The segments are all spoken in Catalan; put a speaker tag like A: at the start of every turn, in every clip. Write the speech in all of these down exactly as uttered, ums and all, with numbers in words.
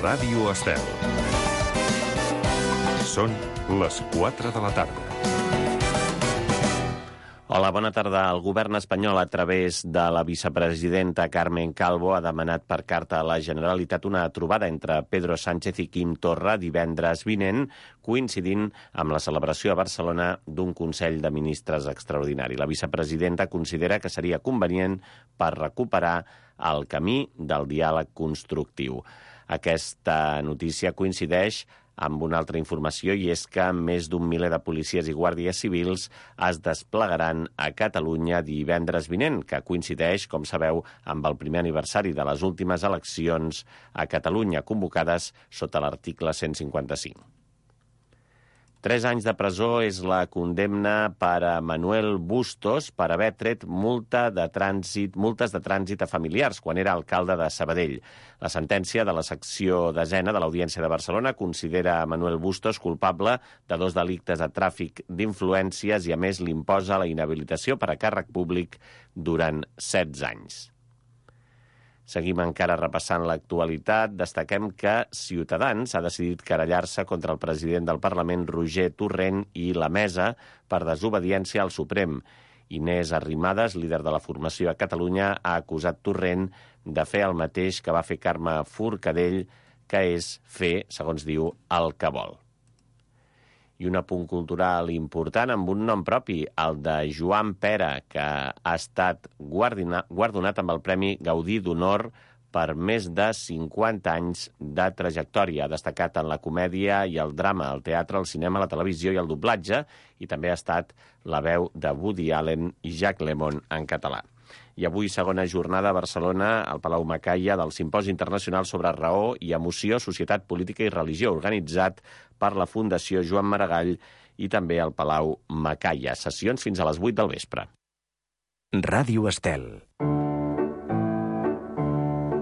A: Ràdio Estel. Són les quatre de la tarda.
B: Hola, bona tarda. El govern espanyol, a través de la vicepresidenta Carmen Calvo, ha demanat per carta a la Generalitat una trobada entre Pedro Sánchez i Quim Torra divendres vinent, coincidint amb la celebració a Barcelona d'un Consell de Ministres extraordinari. La vicepresidenta considera que seria convenient per recuperar el camí del diàleg constructiu. Aquesta notícia coincideix amb una altra informació, i és que més d'un miler de policies i guàrdies civils es desplegaran a Catalunya divendres vinent, que coincideix, com sabeu, amb el primer aniversari de les últimes eleccions a Catalunya, convocades sota l'article cent cinquanta-cinc. Tres anys de presó és la condemna per a Manuel Bustos per haver tret multa de trànsit, multes de trànsit a familiars quan era alcalde de Sabadell. La sentència de la secció desena de l'Audiència de Barcelona considera a Manuel Bustos culpable de dos delictes de tràfic d'influències i, a més, l'imposa la inhabilitació per a càrrec públic durant setze anys. Seguim encara repassant l'actualitat. Destaquem que Ciutadans ha decidit querellar-se contra el president del Parlament, Roger Torrent, i la Mesa per desobediència al Suprem. Inés Arrimadas, líder de la formació a Catalunya, ha acusat Torrent de fer el mateix que va fer Carme Forcadell, que és fer, segons diu, el que vol. I un apunt cultural important amb un nom propi, el de Joan Pera, que ha estat guardonat amb el Premi Gaudí d'Honor per més de cinquanta anys de trajectòria. Ha destacat en la comèdia i el drama, el teatre, el cinema, la televisió i el doblatge, i també ha estat la veu de Woody Allen i Jacques Lemmon en català. I avui, segona jornada a Barcelona, al Palau Macaya, del Simposi Internacional sobre Raó i Emoció, Societat, Política i Religió, organitzat per la Fundació Joan Maragall i també al Palau Macaya. Sessions fins a les vuit del vespre.
C: Ràdio Estel.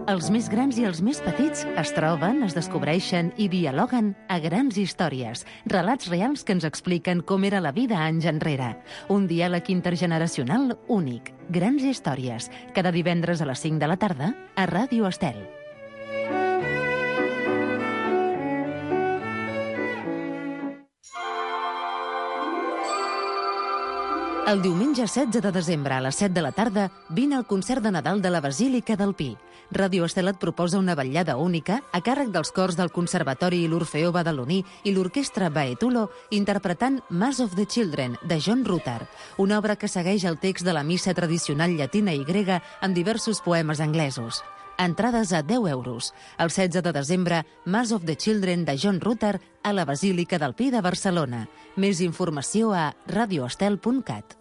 D: Els més grans i els més petits es troben, es descobreixen i dialoguen a Grans Històries, relats reals que ens expliquen com era la vida anys enrere. Un diàleg intergeneracional únic. Grans Històries, cada divendres a les cinc de la tarda a Ràdio Estel. El diumenge setze de desembre a les set de la tarda vine al concert de Nadal de la Basílica del Pi. Ràdio Estel et proposa una vetllada única a càrrec dels cors del Conservatori i l'Orfeó Badaloní i l'Orquestra Baetulo interpretant Mass of the Children, de John Rutter, una obra que segueix el text de la missa tradicional llatina i grega amb diversos poemes anglesos. Entrades a deu euros. El setze de desembre, Mass of the Children de John Rutter a la Basílica del Pi de Barcelona. Més informació a radioestel punt cat.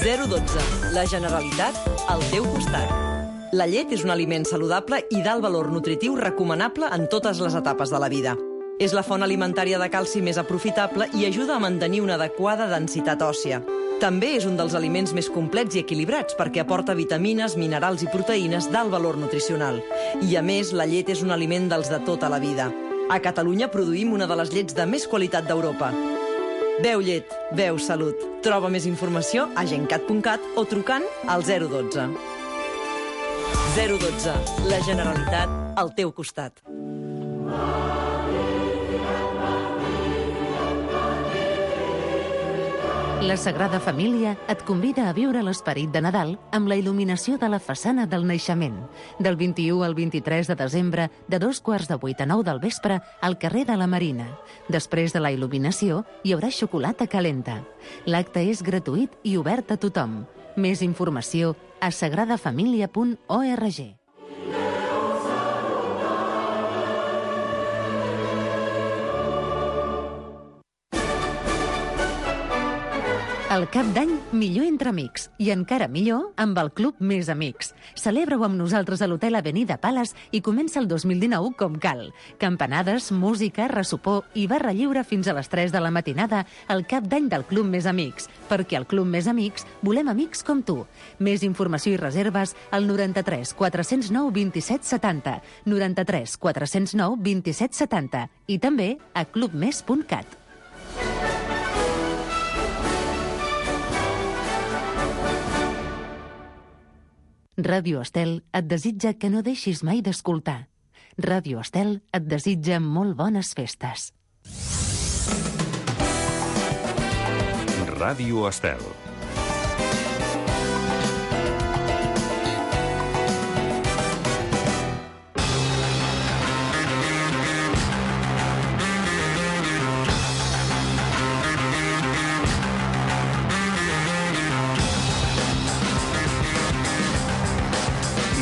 E: zero dotze. La Generalitat al teu costat. La llet és un aliment saludable i d'alt valor nutritiu recomanable en totes les etapes de la vida. És la font alimentària de calci més aprofitable i ajuda a mantenir una adequada densitat òssia. També és un dels aliments més complets i equilibrats perquè aporta vitamines, minerals i proteïnes d'alt valor nutricional. I, a més, la llet és un aliment dels de tota la vida. A Catalunya produïm una de les llets de més qualitat d'Europa. Beu llet, beu salut. Troba més informació a gencat punt cat o trucant al zero dotze. zero dotze. La Generalitat al teu costat.
D: La Sagrada Família et convida a viure l'esperit de Nadal amb la il·luminació de la façana del naixement. Del vint-i-u al vint-i-tres de desembre, de dos quarts de vuit a nou del vespre, al carrer de la Marina. Després de la il·luminació, hi haurà xocolata calenta. L'acte és gratuït i obert a tothom. Més informació a sagrada família punt org. El cap d'any millor entre amics i encara millor amb el Club Més Amics. Celebra-ho amb nosaltres a l'Hotel Avenida Palace i comença el dos mil dinou com cal. Campanades, música, ressopor i barra lliure fins a les tres de la matinada al cap d'any del Club Més Amics, perquè al Club Més Amics volem amics com tu. Més informació i reserves al noranta-tres quatre-cents nou vint-i-set setanta, noranta-tres quatre-cents nou vint-i-set setanta i també a club més punt cat. Ràdio Estel et desitja que no deixis mai d'escoltar. Ràdio Estel et desitja molt bones festes.
A: Ràdio Estel.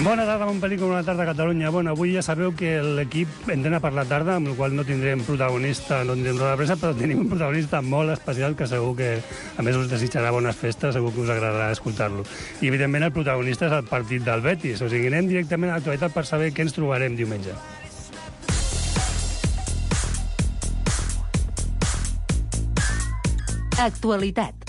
F: Bona tarda, bon pel·lícula, bona tarda a Catalunya. Bueno, avui ja sabeu que l'equip entrena per la tarda, amb el qual no tindrem protagonista, no tindrem roda de premsa, però tenim un protagonista molt especial que segur que, a més, us desitjarà bones festes, segur que us agradarà escoltar-lo. I, evidentment, el protagonista és el partit del Betis. O sigui, anem directament a l'actualitat per saber què ens trobarem diumenge.
D: Actualitat.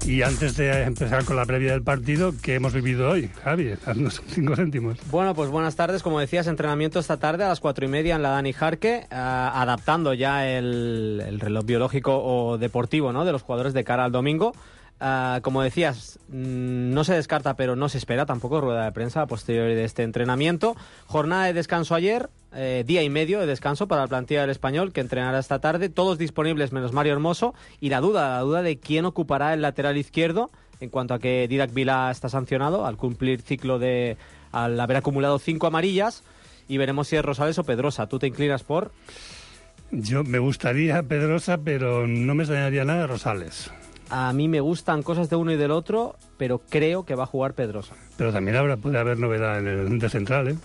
F: Y antes de empezar con la previa del partido, ¿qué hemos vivido hoy? Javi, haznos cinco céntimos.
G: Bueno, pues buenas tardes. Como decías, entrenamiento esta tarde a las cuatro y media en la Dani Jarque, uh, adaptando ya el, el reloj biológico o deportivo, ¿no?, de los jugadores de cara al domingo. Uh, como decías, no se descarta, pero no se espera tampoco rueda de prensa a posteriori de este entrenamiento. Jornada de descanso ayer, eh, día y medio de descanso para la plantilla del Español, que entrenará esta tarde. Todos disponibles menos Mario Hermoso. Y la duda, la duda de quién ocupará el lateral izquierdo, en cuanto a que Didac Vila está sancionado al cumplir ciclo de... al haber acumulado cinco amarillas. Y veremos si es Rosales o Pedrosa. ¿Tú te inclinas por...?
F: Yo me gustaría Pedrosa, pero no me extrañaría nada Rosales.
G: A mí me gustan cosas de uno y del otro, pero creo que va a jugar Pedrosa.
F: Pero también habrá, puede haber novedad en el de central, ¿eh?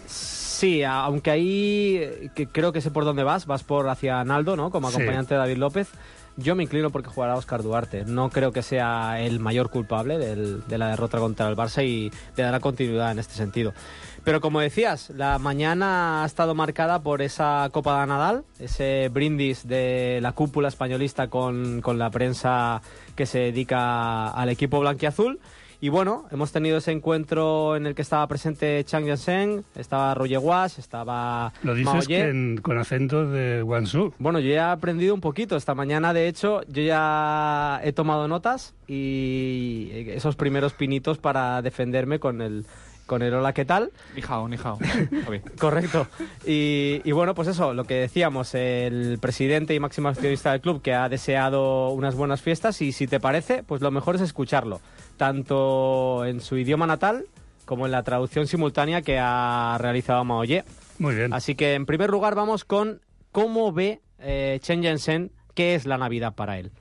G: Sí, aunque ahí que creo que sé por dónde vas, vas por hacia Naldo, ¿no?, como acompañante sí. de David López. Yo me inclino porque jugará Óscar Duarte. No creo que sea el mayor culpable del, de la derrota contra el Barça y le dará continuidad en este sentido. Pero como decías, la mañana ha estado marcada por esa Copa de Nadal, ese brindis de la cúpula españolista con, con la prensa que se dedica al equipo blanquiazul. Y bueno, hemos tenido ese encuentro en el que estaba presente Chang Yansheng, estaba Roger Wash, estaba
F: Lo dices
G: Mao Ye.
F: Que en, con acento de Guangzhou.
G: Bueno, yo ya he aprendido un poquito. Esta mañana, de hecho, yo ya he tomado notas y esos primeros pinitos para defenderme con el... con el hola, ¿qué tal?
H: Ni hao, ni hao.
G: Correcto. Y, y bueno, pues eso, lo que decíamos, el presidente y máximo accionista del club que ha deseado unas buenas fiestas y si te parece, pues lo mejor es escucharlo, tanto en su idioma natal como en la traducción simultánea que ha realizado Mao Ye.
F: Muy bien.
G: Así que en primer lugar vamos con cómo ve eh, Chen Yansheng qué es la Navidad para él.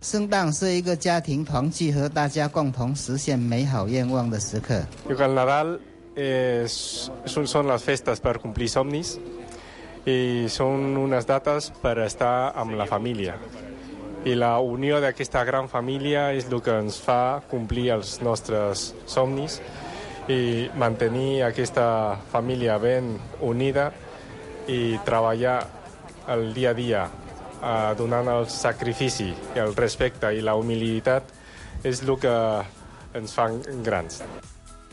I: 圣诞是一个家庭团聚和大家共同实现美好愿望的时刻。
J: El Nadal es, son las festas per complir somnis i són unes dates per estar amb la família. I la unió d'aquesta gran família és el que ens fa complir els nostres somnis i mantenir aquesta família ben unida i treballar el dia a dia Uh, donant el sacrifici, el respecte i la humilitat és el que ens fan grans.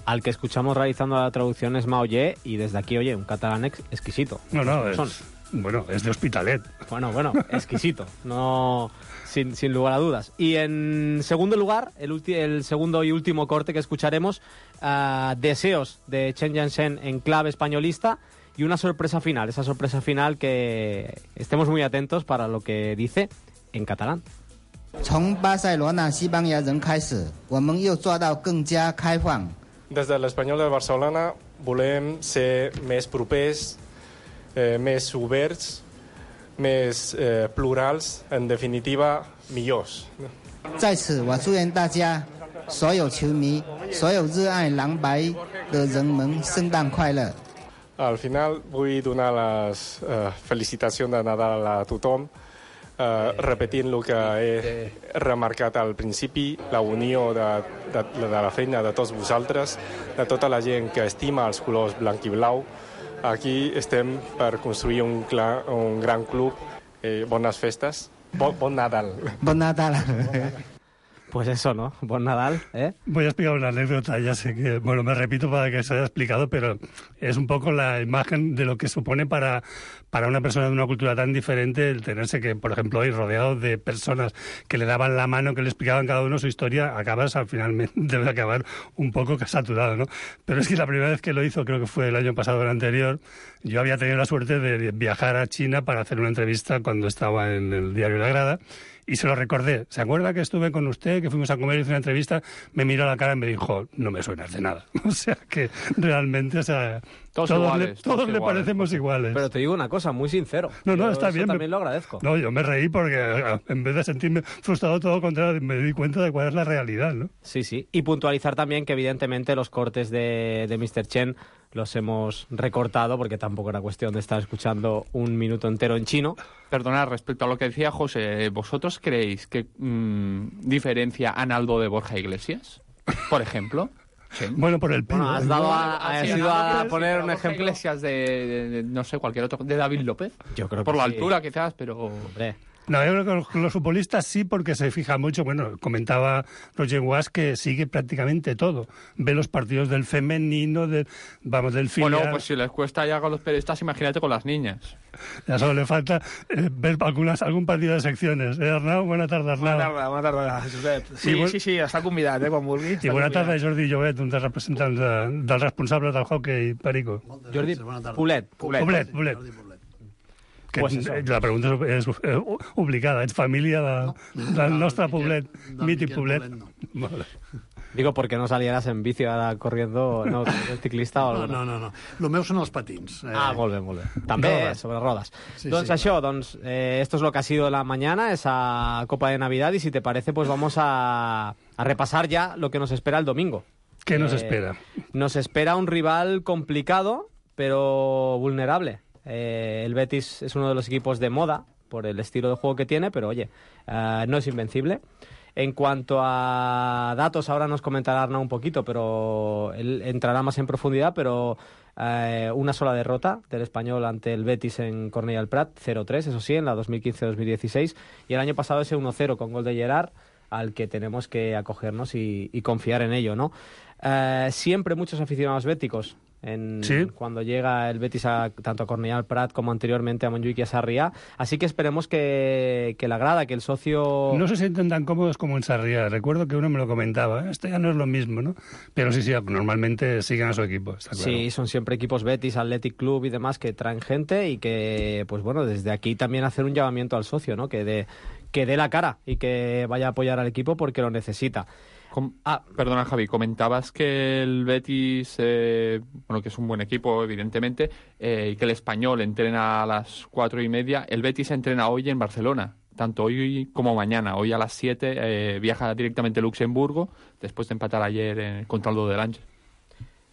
G: Al que escuchamos realizando la traducción es Mao Ye y desde aquí, oye, un catalán ex exquisito.
F: No, no,
G: es,
F: son. Bueno, es de Hospitalet.
G: Bueno, bueno, exquisito, no, sin, sin lugar a dudas. Y en segundo lugar, el, el segundo y último corte que escucharemos, uh, deseos de Chen Yansheng en clave españolista. Y una sorpresa final, esa sorpresa final que estemos muy atentos para lo que dice en catalán.
I: 从巴塞罗那西班牙人开始，我们又做到更加开放。
J: Des de l'Espanyol de Barcelona volem ser més propers, eh, més oberts, més eh, plurals, en definitiva, millors.
I: 在此，我祝愿大家、所有球迷、所有热爱蓝白的人们圣诞快乐。
J: Al final vull donar les eh, felicitacions de Nadal a tothom, eh, repetint el que he remarcat al principi, la unió de, de, de la feina de tots vosaltres, de tota la gent que estima els colors blanc i blau. Aquí estem per construir un, clar, un gran club. Eh, bones festes. Bon, bon Nadal.
I: Bon Nadal.
G: Pues eso, ¿no? Bon Nadal, ¿eh?
F: Voy a explicar una anécdota, ya sé que, bueno, me repito para que se haya explicado, pero es un poco la imagen de lo que supone para, para una persona de una cultura tan diferente el tenerse que, por ejemplo, hoy rodeado de personas que le daban la mano, que le explicaban cada uno su historia, acabas al final, debe acabar un poco saturado, ¿no? Pero es que la primera vez que lo hizo, creo que fue el año pasado o el anterior, yo había tenido la suerte de viajar a China para hacer una entrevista cuando estaba en el diario La Grada, y se lo recordé. ¿Se acuerda que estuve con usted, que fuimos a comer y hice una entrevista? Me miró a la cara y me dijo, no me suenas de nada. O sea, que realmente, o sea,
H: todos,
F: todos,
H: iguales,
F: le, todos
H: todos
F: le
H: iguales.
F: parecemos iguales.
G: Pero te digo una cosa, muy sincero.
F: No, no,
G: Yo
F: está
G: eso
F: bien.
G: también lo agradezco.
F: No, yo me reí porque en vez de sentirme frustrado, todo lo contrario, me di cuenta de cuál es la realidad, ¿no?
G: Sí, sí. Y puntualizar también que evidentemente los cortes de, de míster Chen los hemos recortado porque tampoco era cuestión de estar escuchando un minuto entero en chino.
H: Perdonad, respecto a lo que decía José, ¿vosotros creéis que mmm, diferencia a Naldo de Borja Iglesias, por ejemplo? Sí.
F: Bueno, por el pelo.
G: Bueno, has dado a, a, has ido a poner un ejemplo.
H: Iglesias de, de, de, no sé, cualquier otro, de David López.
G: Yo creo que
H: por la
G: sí.
H: altura quizás, pero...
G: Hombre.
F: No, yo creo que los, los futbolistas sí, porque se fija mucho. Bueno, comentaba Roger Watts que sigue prácticamente todo. Ve los partidos del femenino, del, vamos, del filial.
H: Bueno, pues si les cuesta ya con los periodistas, imagínate con las niñas.
F: Ya solo le falta eh, ver algunas, algún partido de secciones. ¿Eh, Arnau? Buena tarde, Arnau.
K: Bona tarda, bona tarda, Josep. Sí,
F: I,
K: sí, sí, està convidat, eh, quan vulgui.
F: I bona tarda, Jordi Llobet, un dels representants de, dels responsables del hockey Perico.
G: Jordi Poblet.
F: Poblet, Poblet. Poblet. Que
G: Pues eso.
F: La pregunta és, és obligada. Ets família de, no, del
L: no,
F: nostre
L: no,
F: Poblet,
L: no,
F: mític
L: no,
F: Poblet.
L: no.
F: Vale.
G: Digo, porque no salieras en bici ahora corriendo, no, el ciclista o algo.
L: No, no, no. El meu són els patins.
G: Eh... Ah, molt bé, molt bé. També,
F: rodes.
G: eh, sobre rodas.
L: Sí,
G: Doncs
L: sí,
G: això, doncs, eh, esto es lo que ha sido la mañana, esa Copa de Navidad, y si te parece, pues vamos a, a repasar ya lo que nos espera el domingo.
F: ¿Qué nos
G: Eh,
F: espera?
G: Nos espera un rival complicado, pero vulnerable. Eh, el Betis es uno de los equipos de moda por el estilo de juego que tiene, pero oye, eh, no es invencible. En cuanto a datos, ahora nos comentará Arnau un poquito, pero él entrará más en profundidad, pero eh, una sola derrota del Español ante el Betis en Cornellà del Prat, cero tres, eso sí, en la dos mil quince dos mil dieciséis, y el año pasado ese uno cero con gol de Gerard, al que tenemos que acogernos y, y confiar en ello, ¿no? Eh, siempre muchos aficionados béticos en,
F: ¿Sí?
G: cuando llega el Betis a, tanto a Cornellà del Prat como anteriormente a Montjuïc y a Sarriá, así que esperemos que, que la grada, que el socio...
F: No se sienten tan cómodos como en Sarriá. Recuerdo que uno me lo comentaba. Esto ya no es lo mismo, ¿no? Pero sí, sí, normalmente siguen a su equipo, está claro.
G: Sí, son siempre equipos Betis, Athletic Club y demás que traen gente y que, pues bueno, desde aquí también hacer un llamamiento al socio, ¿no? Que dé que dé la cara y que vaya a apoyar al equipo porque lo necesita.
H: Com ah, perdona, Javi, comentabas que el Betis, eh, bueno, que es un buen equipo, evidentemente, eh, y que el Español entrena a las cuatro y media. El Betis entrena hoy en Barcelona, tanto hoy como mañana. Hoy a las siete eh, viaja directamente a Luxemburgo, después de empatar ayer en, contra el Dodelange.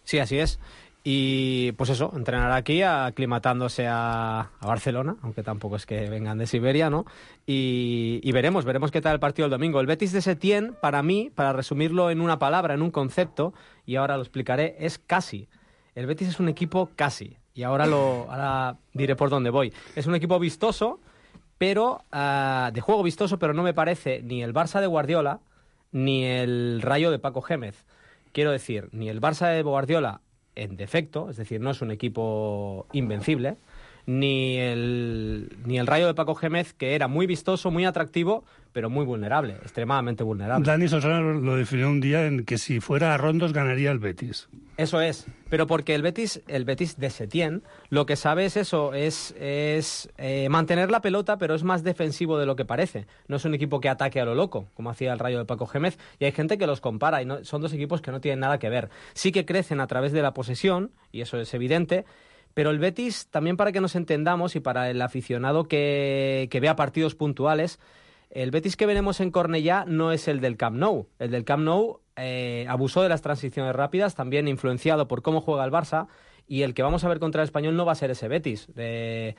G: Sí, así es. Y pues eso, entrenará aquí aclimatándose a, a Barcelona, aunque tampoco es que vengan de Siberia, ¿no? Y, y veremos, veremos qué tal el partido el domingo. El Betis de Setién, para mí, para resumirlo en una palabra, en un concepto, y ahora lo explicaré, es casi. El Betis es un equipo casi, y ahora, lo, ahora diré por dónde voy. Es un equipo vistoso, pero uh, de juego vistoso, pero no me parece ni el Barça de Guardiola, ni el Rayo de Paco Gémez. Quiero decir, ni el Barça de Guardiola en defecto, es decir, no es un equipo invencible, ni el, ni el Rayo de Paco Gémez, que era muy vistoso, muy atractivo, pero muy vulnerable, extremadamente vulnerable.
F: Dani Solsona lo definió un día en que si fuera a rondos ganaría el Betis.
G: Eso es, pero porque el Betis, el Betis de Setién, lo que sabe es eso, es, es eh, mantener la pelota, pero es más defensivo de lo que parece. No es un equipo que ataque a lo loco, como hacía el Rayo de Paco Gémez, y hay gente que los compara, y no, son dos equipos que no tienen nada que ver. Sí que crecen a través de la posesión, y eso es evidente, pero el Betis, también para que nos entendamos, y para el aficionado que, que vea partidos puntuales, el Betis que veremos en Cornellà no es el del Camp Nou. El del Camp Nou eh, abusó de las transiciones rápidas, también influenciado por cómo juega el Barça, y el que vamos a ver contra el Español no va a ser ese Betis. Eh,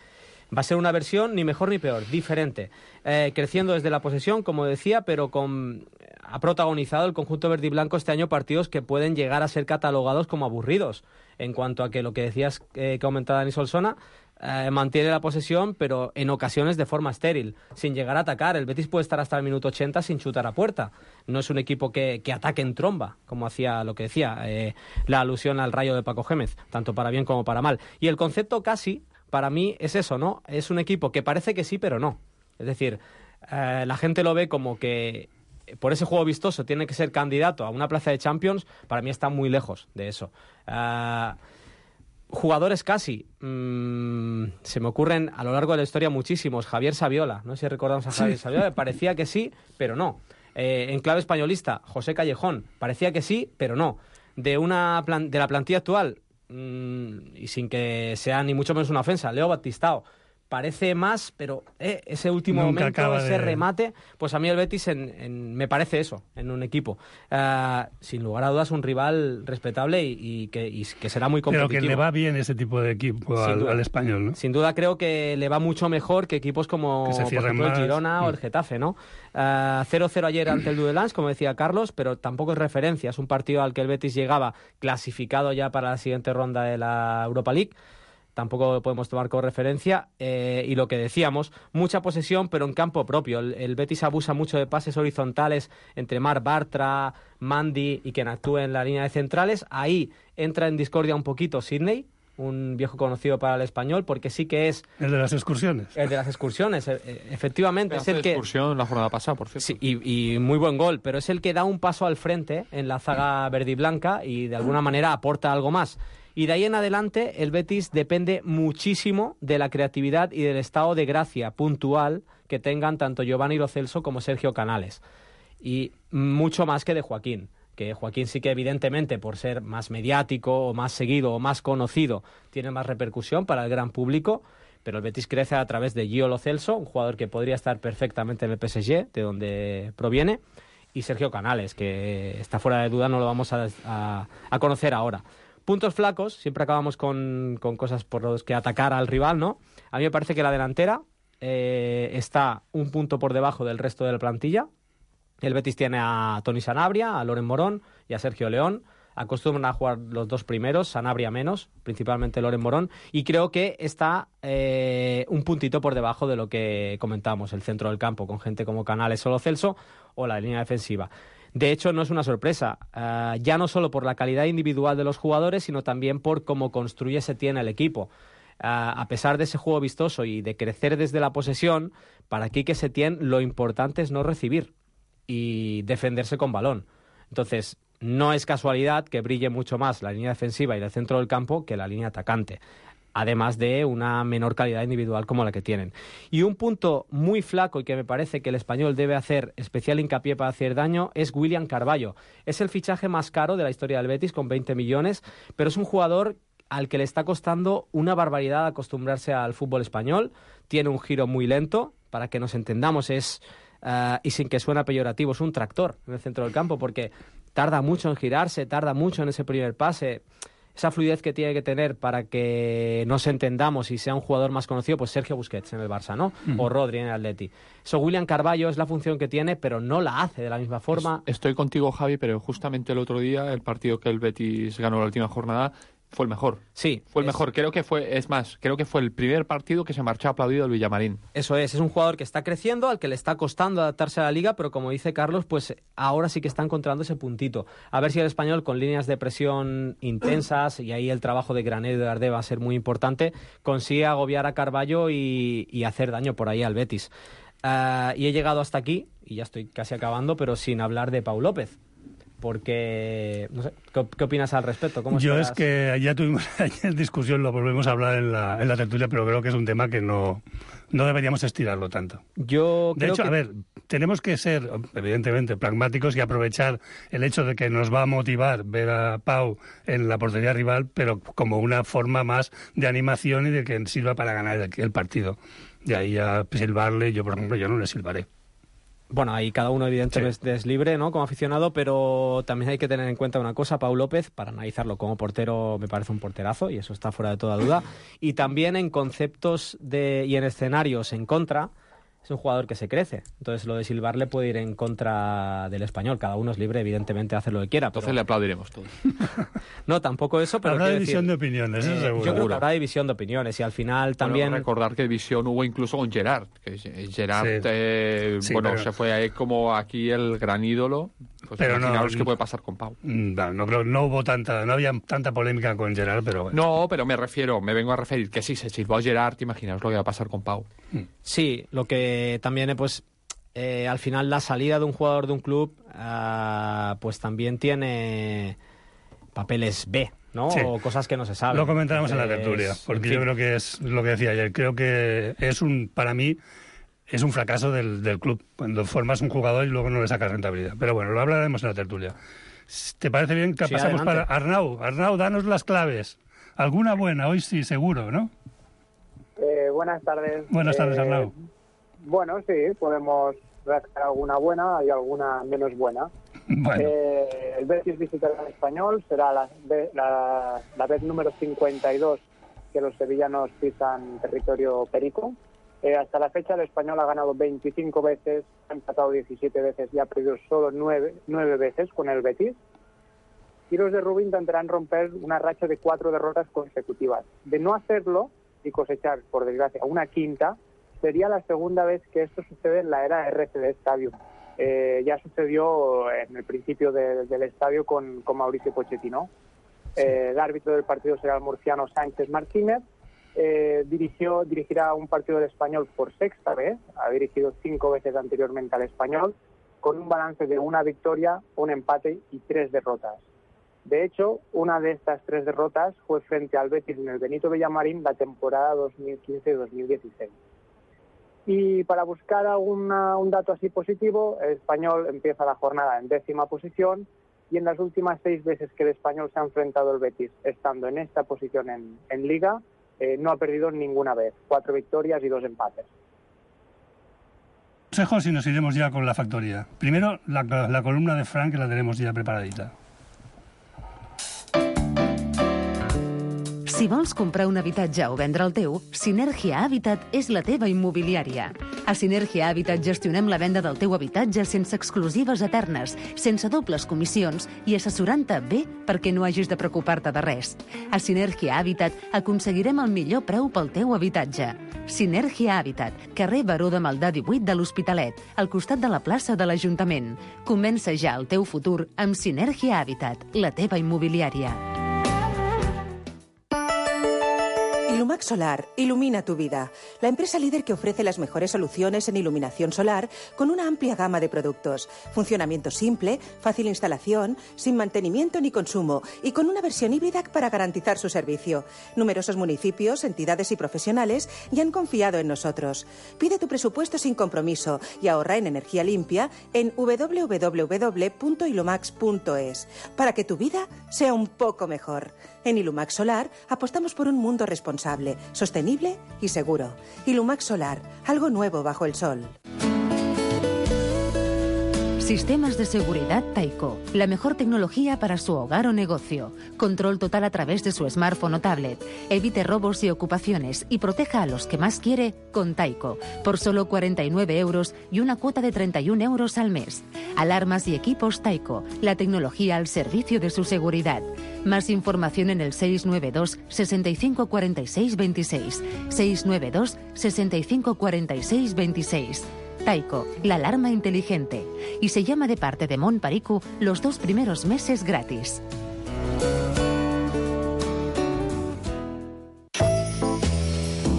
G: va a ser una versión ni mejor ni peor, diferente. Eh, creciendo desde la posesión, como decía, pero con ha protagonizado el conjunto verde y blanco este año partidos que pueden llegar a ser catalogados como aburridos. En cuanto a que lo que decías, eh, que aumentaba Dani Solsona, eh, mantiene la posesión, pero en ocasiones de forma estéril, sin llegar a atacar. El Betis puede estar hasta el minuto ochenta sin chutar a puerta. No es un equipo que, que ataque en tromba, como hacía lo que decía, eh, la alusión al Rayo de Paco Gémez, tanto para bien como para mal. Y el concepto casi, para mí, es eso, ¿no? Es un equipo que parece que sí, pero no. Es decir, eh, la gente lo ve como que por ese juego vistoso tiene que ser candidato a una plaza de Champions. Para mí está muy lejos de eso. Uh, jugadores casi, mmm, se me ocurren a lo largo de la historia muchísimos. Javier Saviola, no sé si recordamos a Javier sí. Saviola, parecía que sí, pero no. Eh, en clave españolista, José Callejón, parecía que sí, pero no. De, una plan- de la plantilla actual, mmm, y sin que sea ni mucho menos una ofensa, Leo Batistao, parece más, pero eh, ese último
F: Nunca
G: momento, ese
F: de...
G: remate, pues a mí el Betis en, en, me parece eso, en un equipo. Uh, sin lugar a dudas, un rival respetable y, y, que, y que será muy competitivo.
F: Pero que le va bien ese tipo de equipo al, al español, ¿no?
G: Sin duda creo que le va mucho mejor que equipos como
F: por ejemplo,
G: el Girona mm. o el Getafe, ¿no? Uh, cero cero ayer ante el Dudelange, como decía Carlos, pero tampoco es referencia. Es un partido al que el Betis llegaba clasificado ya para la siguiente ronda de la Europa League. Tampoco lo podemos tomar como referencia. Eh, y lo que decíamos, mucha posesión, pero en campo propio. El, el Betis abusa mucho de pases horizontales entre Marc Bartra, Mandy y quien actúe en la línea de centrales. Ahí entra en discordia un poquito Sidney, un viejo conocido para el español, porque sí que es...
F: El de las excursiones.
G: El de las excursiones, e- efectivamente.
H: Pedazo
G: es el
H: de
G: que
H: excursión la jornada pasada, por cierto.
G: Sí, y, y muy buen gol, pero es el que da un paso al frente en la zaga verde y blanca y de alguna manera aporta algo más. Y de ahí en adelante el Betis depende muchísimo de la creatividad y del estado de gracia puntual que tengan tanto Giovanni Lo Celso como Sergio Canales. Y mucho más que de Joaquín, que Joaquín sí que evidentemente por ser más mediático o más seguido o más conocido tiene más repercusión para el gran público, pero el Betis crece a través de Gio Lo Celso, un jugador que podría estar perfectamente en el P S G, de donde proviene, y Sergio Canales, que está fuera de duda, no lo vamos a, a, a conocer ahora. Puntos flacos, siempre acabamos con, con cosas por los que atacar al rival, ¿no? A mí me parece que la delantera eh, está un punto por debajo del resto de la plantilla. El Betis tiene a Toni Sanabria, a Loren Morón y a Sergio León. Acostumbran a jugar los dos primeros, Sanabria menos, principalmente Loren Morón. Y creo que está eh, un puntito por debajo de lo que comentamos, el centro del campo, con gente como Canales o Lo Celso, o la línea defensiva. De hecho, no es una sorpresa, uh, ya no solo por la calidad individual de los jugadores, sino también por cómo construye Setién el equipo. Uh, a pesar de ese juego vistoso y de crecer desde la posesión, para Quique Setién lo importante es no recibir y defenderse con balón. Entonces, no es casualidad que brille mucho más la línea defensiva y el centro del campo que la línea atacante, además de una menor calidad individual como la que tienen. Y un punto muy flaco y que me parece que el Español debe hacer especial hincapié para hacer daño es William Carballo. Es el fichaje más caro de la historia del Betis, con veinte millones, pero es un jugador al que le está costando una barbaridad acostumbrarse al fútbol español. Tiene un giro muy lento, para que nos entendamos, es, uh, y sin que suene peyorativo, es un tractor en el centro del campo, porque tarda mucho en girarse, tarda mucho en ese primer pase. Esa fluidez que tiene que tener para que nos entendamos y sea un jugador más conocido, pues Sergio Busquets en el Barça, ¿no? Uh-huh. O Rodri en el Atleti. Eso William Carballo es la función que tiene, pero no la hace de la misma forma.
H: Estoy contigo, Javi, pero justamente el otro día, el partido que el Betis ganó la última jornada, fue el mejor.
G: Sí.
H: Fue el
G: es...
H: mejor. Creo que fue, es más, creo que fue el primer partido que se marchó aplaudido el Villamarín.
G: Eso es, es un jugador que está creciendo, al que le está costando adaptarse a la liga, pero como dice Carlos, pues ahora sí que está encontrando ese puntito. A ver si el Español, con líneas de presión intensas, y ahí el trabajo de Grané y de Ardé va a ser muy importante, consigue agobiar a Carballo y, y hacer daño por ahí al Betis. Uh, y he llegado hasta aquí, y ya estoy casi acabando, pero sin hablar de Pau López. Porque, no sé, ¿qué, qué opinas al respecto? ¿Cómo
F: Yo
G: esperas?
F: Es que ya tuvimos ayer discusión, lo volvemos a hablar en la, en la tertulia, pero creo que es un tema que no, no deberíamos estirarlo tanto.
G: Yo
F: de
G: creo
F: hecho,
G: que...
F: a ver, tenemos que ser, evidentemente, pragmáticos y aprovechar el hecho de que nos va a motivar ver a Pau en la portería rival, pero como una forma más de animación y de que sirva para ganar el, el partido. De ahí a silbarle, yo, por ejemplo, yo no le silbaré.
G: Bueno, ahí cada uno evidentemente sí. es libre, ¿no?, como aficionado, pero también hay que tener en cuenta una cosa. Pau López, para analizarlo como portero, me parece un porterazo, y eso está fuera de toda duda. Y también en conceptos de y en escenarios en contra, es un jugador que se crece. Entonces lo de silbarle puede ir en contra del Español. Cada uno es libre, evidentemente, de hacer lo que quiera.
H: Entonces
G: pero...
H: le aplaudiremos todos.
G: No, tampoco eso, pero
F: habrá
G: quiero
F: división
G: decir,
F: de opiniones, eso
G: eh,
F: seguro.
G: Yo creo que habrá división de opiniones y al final también...
H: Bueno, recordar que división hubo incluso con Gerard. Que Gerard,
F: Sí.
H: eh,
F: Sí,
H: bueno,
F: pero-
H: se fue ahí como aquí el gran ídolo. Pues
F: Pero no,
H: imaginaros qué puede pasar con Pau.
F: No, no, creo- no hubo tanta, no había tanta polémica con Gerard, pero bueno.
H: No, pero me refiero, me vengo a referir que si se silbó a Gerard, imaginaos lo que va a pasar con Pau.
G: Sí, lo que también, eh, pues, eh, al final la salida de un jugador de un club, ah, pues también tiene papeles B, ¿no?
F: Sí.
G: O cosas que no se saben.
F: Lo comentaremos en la
G: Entonces,
F: tertulia, porque
G: en
F: yo
G: fin.
F: creo que es lo que decía ayer. Creo que es un, para mí, es un fracaso del, del club, cuando formas un jugador y luego no le sacas rentabilidad. Pero bueno, lo hablaremos en la tertulia. ¿Te parece bien que
G: Sí,
F: pasamos
G: adelante.
F: para Arnau? Arnau, danos las claves. Alguna buena, hoy sí, seguro, ¿no?
M: Eh, buenas tardes.
F: Buenas tardes,
M: Eh,
F: Arnau.
M: Bueno, sí, podemos rascar alguna buena y alguna menos buena.
F: Bueno.
M: Eh, el Betis visitará al Español, será la, ve- la, la vez número cincuenta y dos que los sevillanos pisan territorio perico. Eh, hasta la fecha el Español ha ganado veinticinco veces, ha empatado diecisiete veces y ha perdido solo nueve veces con el Betis. Y los de Rubí intentarán romper una racha de cuatro derrotas consecutivas. De no hacerlo y cosechar, por desgracia, una quinta, sería la segunda vez que esto sucede en la era R C D Stadium. Eh, ya sucedió en el principio de- del estadio con, con Mauricio Pochettino. Eh, el árbitro del partido será el murciano Sánchez Martínez. Eh, dirigió, dirigirá un partido del Español por sexta vez, ha dirigido cinco veces anteriormente al Español, con un balance de una victoria, un empate y tres derrotas. De hecho, una de estas tres derrotas fue frente al Betis en el Benito Villamarín la temporada dos mil quince dos mil dieciséis. Y para buscar alguna, un dato así positivo, el Español empieza la jornada en décima posición y en las últimas seis veces que el Español se ha enfrentado al Betis, estando en esta posición en, en Liga, eh, no ha perdido ninguna vez, cuatro victorias y dos empates.
F: Consejos y nos iremos ya con la factoría. Primero, la, la columna de Frank, que la tenemos ya preparadita.
D: Si vols comprar un habitatge o vendre el teu, Sinergia Habitat és la teva immobiliària. A Sinergia Habitat gestionem la venda del teu habitatge sense exclusives eternes, sense dobles comissions i assessorant-te bé perquè no hagis de preocupar-te de res. A Sinergia Habitat aconseguirem el millor preu pel teu habitatge. Sinergia Habitat, carrer Baró de Maldà divuit de l'Hospitalet, al costat de la plaça de l'Ajuntament. Comença ja el teu futur amb Sinergia Habitat, la teva immobiliària.
N: Ilumax Solar ilumina tu vida. La empresa líder que ofrece las mejores soluciones en iluminación solar con una amplia gama de productos. Funcionamiento simple, fácil instalación, sin mantenimiento ni consumo y con una versión híbrida para garantizar su servicio. Numerosos municipios, entidades y profesionales ya han confiado en nosotros. Pide tu presupuesto sin compromiso y ahorra en energía limpia en doble u doble u doble u punto ilumax punto es para que tu vida sea un poco mejor. En Ilumax Solar apostamos por un mundo responsable, sostenible y seguro. Ilumax Solar, algo nuevo bajo el sol.
D: Sistemas de seguridad Taiko, la mejor tecnología para su hogar o negocio. Control total a través de su smartphone o tablet. Evite robos y ocupaciones y proteja a los que más quiere con Taiko, por solo cuarenta y nueve euros y una cuota de treinta y un euros al mes. Alarmas y equipos Taiko, la tecnología al servicio de su seguridad. Más información en el seis nueve dos, sesenta y cinco, cuarenta y seis, veintiséis. seis nueve dos, sesenta y cinco, cuarenta y seis, veintiséis. Taiko, la alarma inteligente. Y se llama de parte de Mont Perico los dos primeros meses gratis.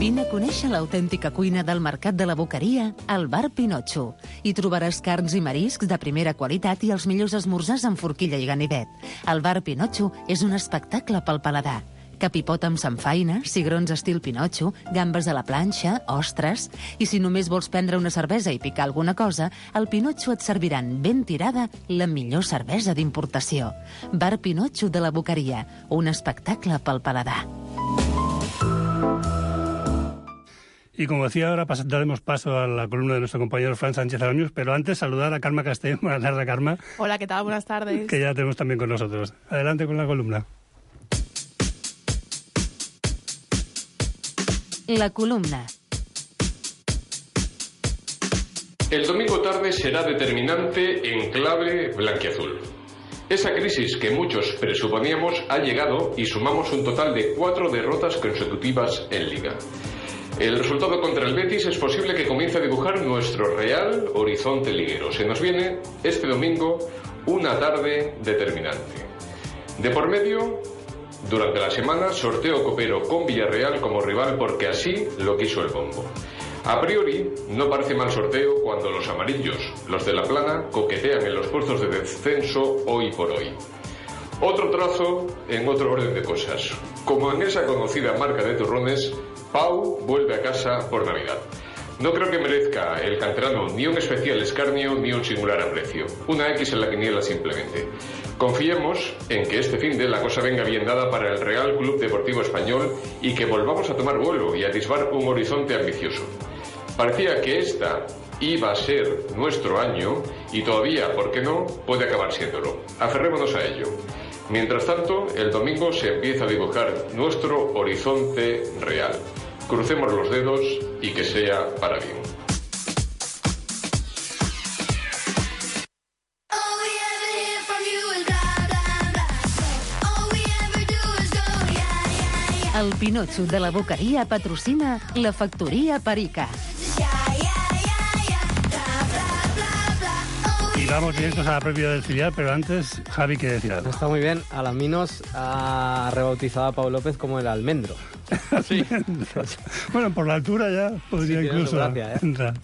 D: Vine a conèixer l'autèntica cuina del Mercat de la Boqueria al Bar Pinotxo. Hi trobaràs carns i mariscs de primera qualitat i els millors esmorzars amb forquilla i ganivet. El Bar Pinotxo és un espectacle pel paladar. Capipot amb samfaina, cigrons estil Pinotxo, gambes a la planxa, ostres... I si només vols prendre una cervesa i picar alguna cosa, al Pinotxo et serviran ben tirada la millor cervesa d'importació. Bar Pinotxo de la Boqueria, un espectacle pel paladar.
F: Y como decía, ahora pas- daremos paso a la columna de nuestro compañero Fran Sánchez Araños, pero antes saludar a Karma Castellón. Buenas tardes, Karma,
O: Hola, ¿qué tal? Buenas tardes.
F: que ya la tenemos también con nosotros. Adelante con la columna.
D: La columna.
O: El domingo tarde será determinante en clave blanquiazul. Esa crisis que muchos presuponíamos ha llegado y sumamos un total de cuatro derrotas consecutivas en Liga. El resultado contra el Betis es posible que comience a dibujar nuestro real horizonte liguero. Se nos viene este domingo una tarde determinante. De por medio, durante la semana, sorteo copero con Villarreal como rival porque así lo quiso el bombo. A priori, no parece mal sorteo cuando los amarillos, los de la plana, coquetean en los puestos de descenso hoy por hoy. Otro trazo en otro orden de cosas. Como en esa conocida marca de turrones, Pau vuelve a casa por Navidad. No creo que merezca el canterano ni un especial escarnio ni un singular aprecio. Una X en la quiniela simplemente. Confiemos en que este fin de la cosa venga bien dada para el Real Club Deportivo Español y que volvamos a tomar vuelo y a atisbar un horizonte ambicioso. Parecía que esta iba a ser nuestro año y todavía, ¿por qué no?, puede acabar siéndolo. Aferrémonos a ello. Mientras tanto, el domingo se empieza a dibujar nuestro horizonte real. Crucemos los dedos y que sea para bien.
D: El Pinotxo de la Boqueria patrocina la Factoria Perica.
F: Y vamos directos a la previa del filial, pero antes, Javi, ¿qué decir algo?
G: Está muy bien. Alaminos ha rebautizado a Pau López como el almendro.
H: Sí.
F: Bueno, por la altura ya podría
G: sí,
F: incluso
G: gracia, ¿eh?
F: entrar.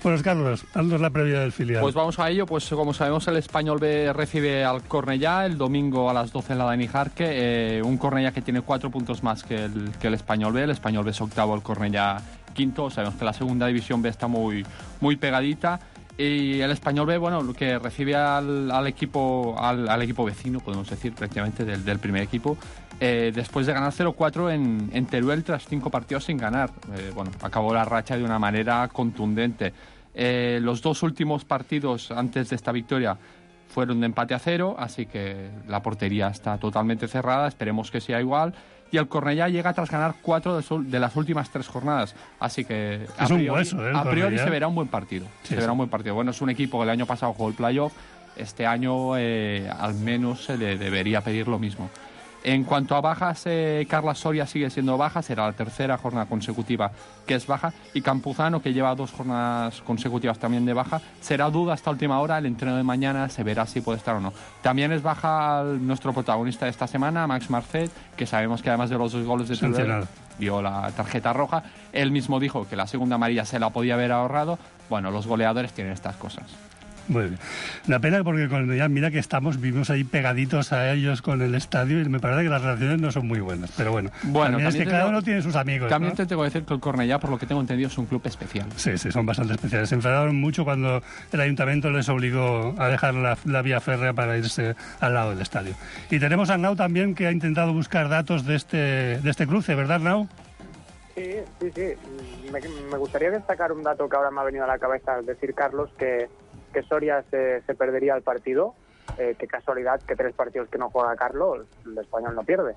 F: Bueno, Carlos, haznos la previa del filial.
H: Pues vamos a ello. Pues como sabemos, el Español B recibe al Cornellá el domingo a las doce en la Dani Jarque. Eh, un Cornellá que tiene cuatro puntos más que el, que el Español B. El Español B es octavo, el Cornellá quinto. Sabemos que la segunda división B está muy, muy pegadita. Y el Español B, bueno, lo que recibe al, al equipo al, al equipo vecino, podemos decir, prácticamente del, del primer equipo, eh, después de ganar cero cuatro en, en Teruel tras cinco partidos sin ganar. Eh, bueno, acabó la racha de una manera contundente. Eh, los dos últimos partidos antes de esta victoria fueron de empate a cero, así que la portería está totalmente cerrada, esperemos que sea igual. Y el Cornellá llega tras ganar cuatro de, su, de las últimas tres jornadas. Así que a
F: es
H: priori,
F: un hueso, ¿eh?
H: a priori se verá un buen partido.
F: Sí,
H: se verá
F: sí.
H: un buen partido. Bueno, es un equipo que el año pasado jugó el playoff. Este año eh, al menos se le debería pedir lo mismo. En cuanto a bajas, eh, Carla Soria sigue siendo baja, será la tercera jornada consecutiva que es baja, y Campuzano, que lleva dos jornadas consecutivas también de baja, será duda hasta última hora. El entreno de mañana se verá si puede estar o no. También es baja nuestro protagonista de esta semana, Max Marcet, que sabemos que además de los dos goles de Teruel vio la tarjeta roja. Él mismo dijo que la segunda amarilla se la podía haber ahorrado. Bueno, los goleadores tienen estas cosas.
F: Muy bien. La pena porque cuando ya mira que estamos, vivimos ahí pegaditos a ellos con el estadio y me parece que las relaciones no son muy buenas. Pero bueno,
H: bueno
F: también, también es que cada uno tiene sus amigos.
H: También
F: ¿no?
H: te tengo que decir que el Cornellá, por lo que tengo entendido, es un club especial.
F: Sí, sí, son bastante especiales. Se enfadaron mucho cuando el ayuntamiento les obligó a dejar la, la vía férrea para irse al lado del estadio. Y tenemos a Arnau también, que ha intentado buscar datos de este, de este cruce, ¿verdad, Arnau?
M: Sí, sí, sí. Me, me gustaría destacar un dato que ahora me ha venido a la cabeza al decir Carlos, que que Soria se, se perdería el partido. Eh, qué casualidad que tres partidos que no juega Carlos, el Español no pierde.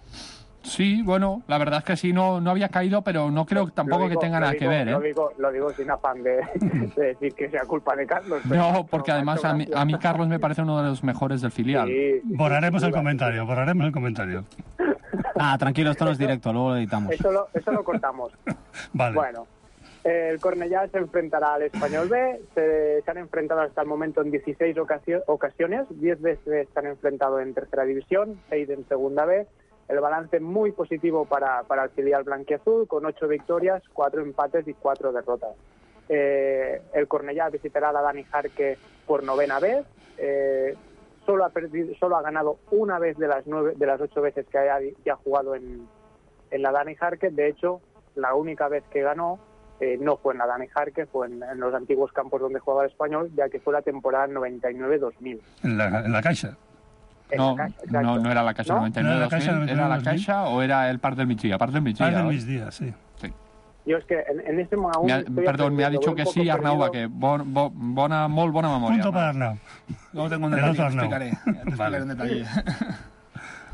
H: Sí, bueno, la verdad es que sí, no, no había caído, pero no creo tampoco digo, que tenga nada
M: digo,
H: que ver. ¿eh?
M: Lo, digo, lo digo sin afán de, de decir que sea culpa de Carlos.
H: No, porque no, además a mí, a mí Carlos me parece uno de los mejores del filial.
M: Sí,
F: borraremos el comentario, borraremos el comentario.
G: Ah, tranquilo, esto no es directo, luego lo editamos.
M: Eso lo, eso lo cortamos.
F: Vale.
M: Bueno. El Cornellá se enfrentará al Español B. Se, se han enfrentado hasta el momento en dieciséis ocasio, ocasiones. diez veces se han enfrentado en tercera división, seis en segunda B. El balance muy positivo para, para el filial blanquiazul, con ocho victorias, cuatro empates y cuatro derrotas. Eh, el Cornellá visitará a la Dani Jarque por novena vez. Eh, solo, ha perdido, solo ha ganado una vez de las, nueve, de las ocho veces que ha, que ha jugado en, en la Dani Jarque. De hecho, la única vez que ganó Eh, no fue en la Dani Jarque, fue en, en los antiguos campos donde jugaba el Español, ya que fue la temporada noventa y nueve dos mil.
F: ¿En la, en la Caixa?
M: En
H: no,
M: la Caixa,
H: no, no era la Caixa
M: ¿No?
H: noventa y nueve dos mil,
F: ¿No
H: ¿era la Caixa o era el Parc del Migdia? Parc del Migdia.
F: Parc del Migdia, sí.
H: sí.
M: Yo es que en, en este momento...
H: Me ha, perdón, me ha dicho que sí, Arnau, va, que bon, bon, bona, molt bona memòria.
F: Punto para Arnau.
K: Luego tengo un detalle, te explicaré. Te explicaré un detalle.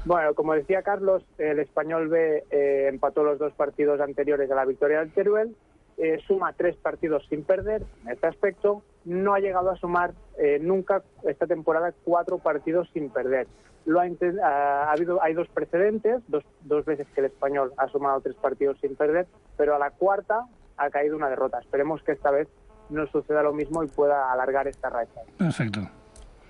M: Bueno, como decía Carlos, el Español B eh, empató los dos partidos anteriores a la victoria del Teruel. Eh, suma tres partidos sin perder en este aspecto no ha llegado a sumar eh, nunca esta temporada cuatro partidos sin perder. Lo ha, uh, ha habido, hay dos precedentes, dos, dos veces que el Español ha sumado tres partidos sin perder, pero a la cuarta ha caído una derrota. Esperemos que esta vez no suceda lo mismo y pueda alargar esta racha.
F: Perfecto.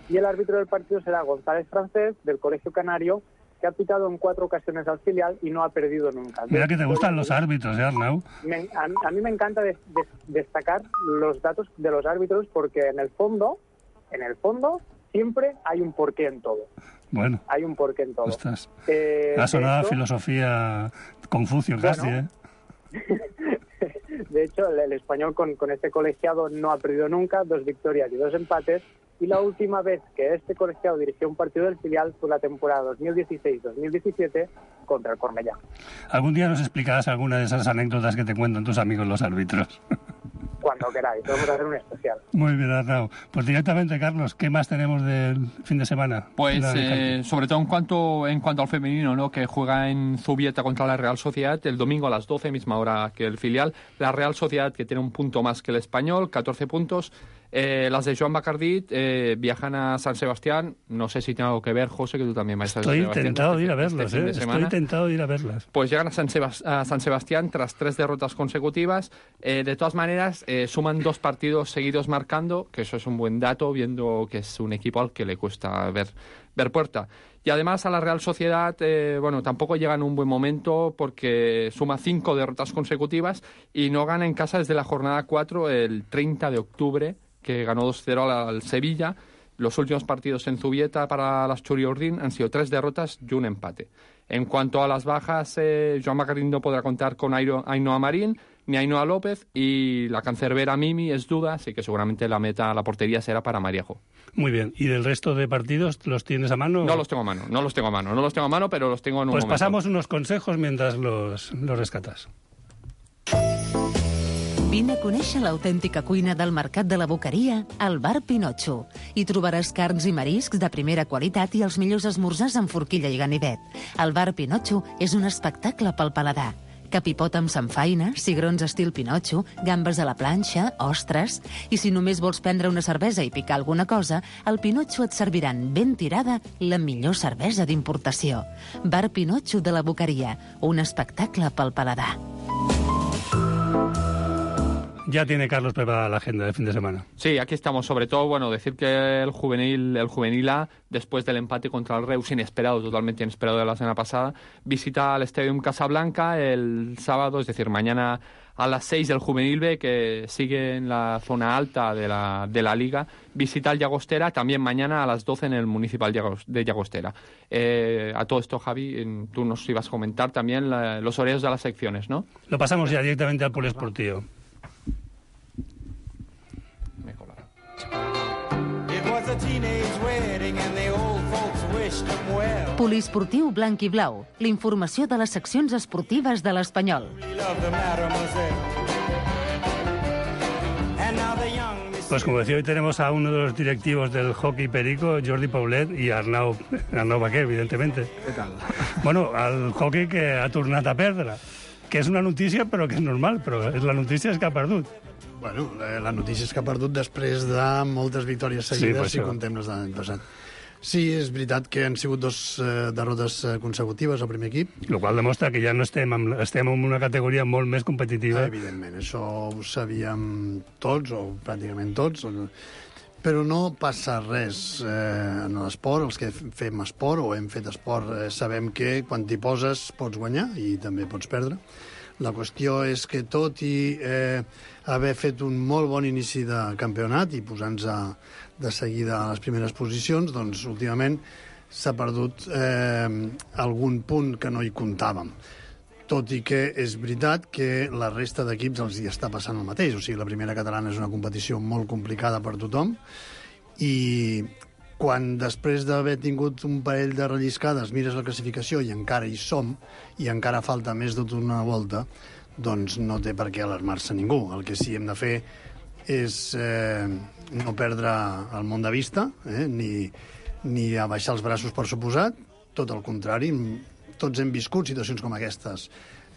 M: Y el árbitro del partido será González Francés, del Colegio Canario, que ha pitado en cuatro ocasiones al filial y no ha perdido nunca.
F: Mira que te gustan los árbitros, ¿eh, Arnau?
M: Me, a, a mí me encanta de, de, destacar los datos de los árbitros porque en el fondo, en el fondo, siempre hay un porqué en todo.
F: Bueno.
M: Hay un porqué en todo.
F: Ostras.
M: Eh,
F: ha sonado
M: hecho,
F: filosofía Confucio casi,
M: bueno,
F: ¿eh?
M: De hecho, el, el Español con, con este colegiado no ha perdido nunca, dos victorias y dos empates. Y la última vez que este colegiado dirigió un partido del filial fue la temporada dos mil dieciséis dos mil diecisiete contra el Cornellá.
F: Algún día nos explicarás alguna de esas anécdotas que te cuentan tus amigos los árbitros.
M: Cuando queráis, vamos a hacer un especial.
F: Muy bien, Arnau. Pues directamente, Carlos, ¿qué más tenemos del fin de semana?
H: Pues eh, sobre todo en cuanto en cuanto al femenino, ¿no? Que juega en Zubieta contra la Real Sociedad el domingo a las doce, misma hora que el filial. La Real Sociedad, que tiene un punto más que el Español, catorce puntos. Eh, las de Joan Bacardit eh, viajan a San Sebastián. No sé si tiene algo que ver, José, que tú también vas a
F: Estoy intentado de ir a verlas, este eh. Estoy intentado de ir a verlas.
H: Pues llegan a San, Sebast- a San Sebastián tras tres derrotas consecutivas. Eh, de todas maneras, eh, suman dos partidos seguidos marcando, que eso es un buen dato, viendo que es un equipo al que le cuesta ver, ver puerta. Y además a la Real Sociedad, eh, bueno, tampoco llega en un buen momento porque suma cinco derrotas consecutivas y no gana en casa desde la jornada cuatro, el treinta de octubre, que ganó dos cero al, al Sevilla. Los últimos partidos en Zubieta para las Churiurdin han sido tres derrotas y un empate. En cuanto a las bajas, eh, Joan Bacardín no podrá contar con Airo, Ainhoa Marín ni Ainhoa López, y la cancerbera Mimi es duda, así que seguramente la meta, la portería será para Mariajo.
F: Muy bien. ¿Y del resto de partidos los tienes a mano?
H: No los tengo a mano, no los tengo a mano, no los tengo a mano, pero los tengo en un
F: pues
H: momento.
F: Pues pasamos unos consejos mientras los, los rescatas.
D: Vine a conèixer l'autèntica cuina del Mercat de la Boqueria al Bar Pinotxo. Hi trobaràs carns i mariscs de primera qualitat i els millors esmorzars amb forquilla i ganivet. El Bar Pinotxo és un espectacle pel paladar. Capipot amb samfaina, cigrons estil Pinotxo, gambes a la planxa, ostres... I si només vols prendre una cervesa i picar alguna cosa, al Pinotxo et serviran ben tirada la millor cervesa d'importació. Bar Pinotxo de la Boqueria, un espectacle pel paladar.
F: Ya tiene Carlos preparada la agenda de fin de semana.
H: Sí, aquí estamos. Sobre todo, bueno, decir que el juvenil, el juvenil A, después del empate contra el Reus, inesperado, totalmente inesperado de la semana pasada, visita al Stadium Casablanca el sábado, es decir, mañana a las seis del juvenil B, que sigue en la zona alta de la, de la Liga, visita el Llagostera, también mañana a las doce en el Municipal de Llagostera. Eh, a todo esto, Javi, tú nos ibas a comentar también la, los horarios de las secciones, ¿no?
F: Lo pasamos ya directamente al poliesportivo.
D: Poliesportiu blanc i blau, la informació de les seccions esportives de l'Espanyol.
F: Pues como decía, hoy tenemos a uno de los directivos del hockey perico, Jordi Paulet, y Arnau, Arnau Baquer, evidentemente.
K: Què tal?
F: Bueno, al hockey que ha tornat a perdre, que és una notícia però que és normal, però la notícia és que ha perdut.
L: Bueno, la notícia és que ha perdut després de moltes victòries seguides, sí, si contem les de l'any passat. Sí, és veritat que han sigut dos eh, derrotes consecutives al primer equip.
F: Lo qual demostra que ja no estem en, estem en una categoria molt més competitiva.
L: Ah, evidentment, això ho sabíem tots, o pràcticament tots, però no passa res eh, en l'esport. Els que fem esport o hem fet esport eh, sabem que quan t'hi poses pots guanyar i també pots perdre. La qüestió és que tot i eh, haver fet un molt bon inici de campionat i posant-se de seguida a les primeres posicions, doncs últimament s'ha perdut eh, algun punt que no hi comptàvem. Tot i que és veritat que la resta d'equips els hi està passant el mateix. O sigui, la primera catalana és una competició molt complicada per tothom i quan després d'haver tingut un parell de relliscades mires la classificació i encara hi som i encara falta més de una volta, doncs no té per què alarmar-se ningú. El que sí hem de fer és eh, no perdre el món de vista, eh, ni, ni abaixar els braços per suposat, tot el contrari. Tots hem viscut situacions com aquestes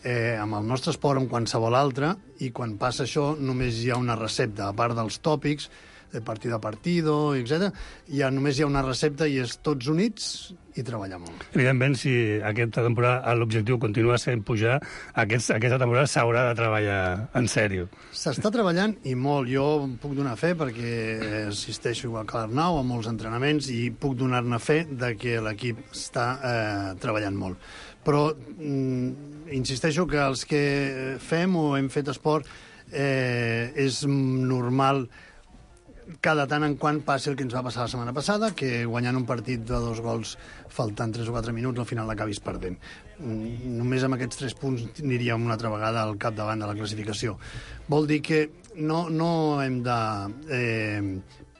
L: eh, amb el nostre esport, amb qualsevol altre, i quan passa això només hi ha una recepta, a part dels tòpics, de partido a partido, etcètera. Ja només hi ha una recepta i és tots units i treballar molt.
F: Evidentment, si aquesta temporada l'objectiu continua sent pujar, aquest, aquesta temporada s'haurà de treballar en sèrio.
L: S'està treballant i molt. Jo puc donar fe perquè assisteixo igual que l'Arnau a molts entrenaments i puc donar-ne fe de que l'equip està eh, treballant molt. Però mm, insisteixo que els que fem o hem fet esport eh, és normal cada tant en quant passi el que ens va passar la setmana passada, que guanyant un partit de dos gols faltant tres o quatre minuts al final l'acabis perdent. Només amb aquests tres punts aniríem una altra vegada al capdavant de la classificació. Vol dir que no, no hem de eh,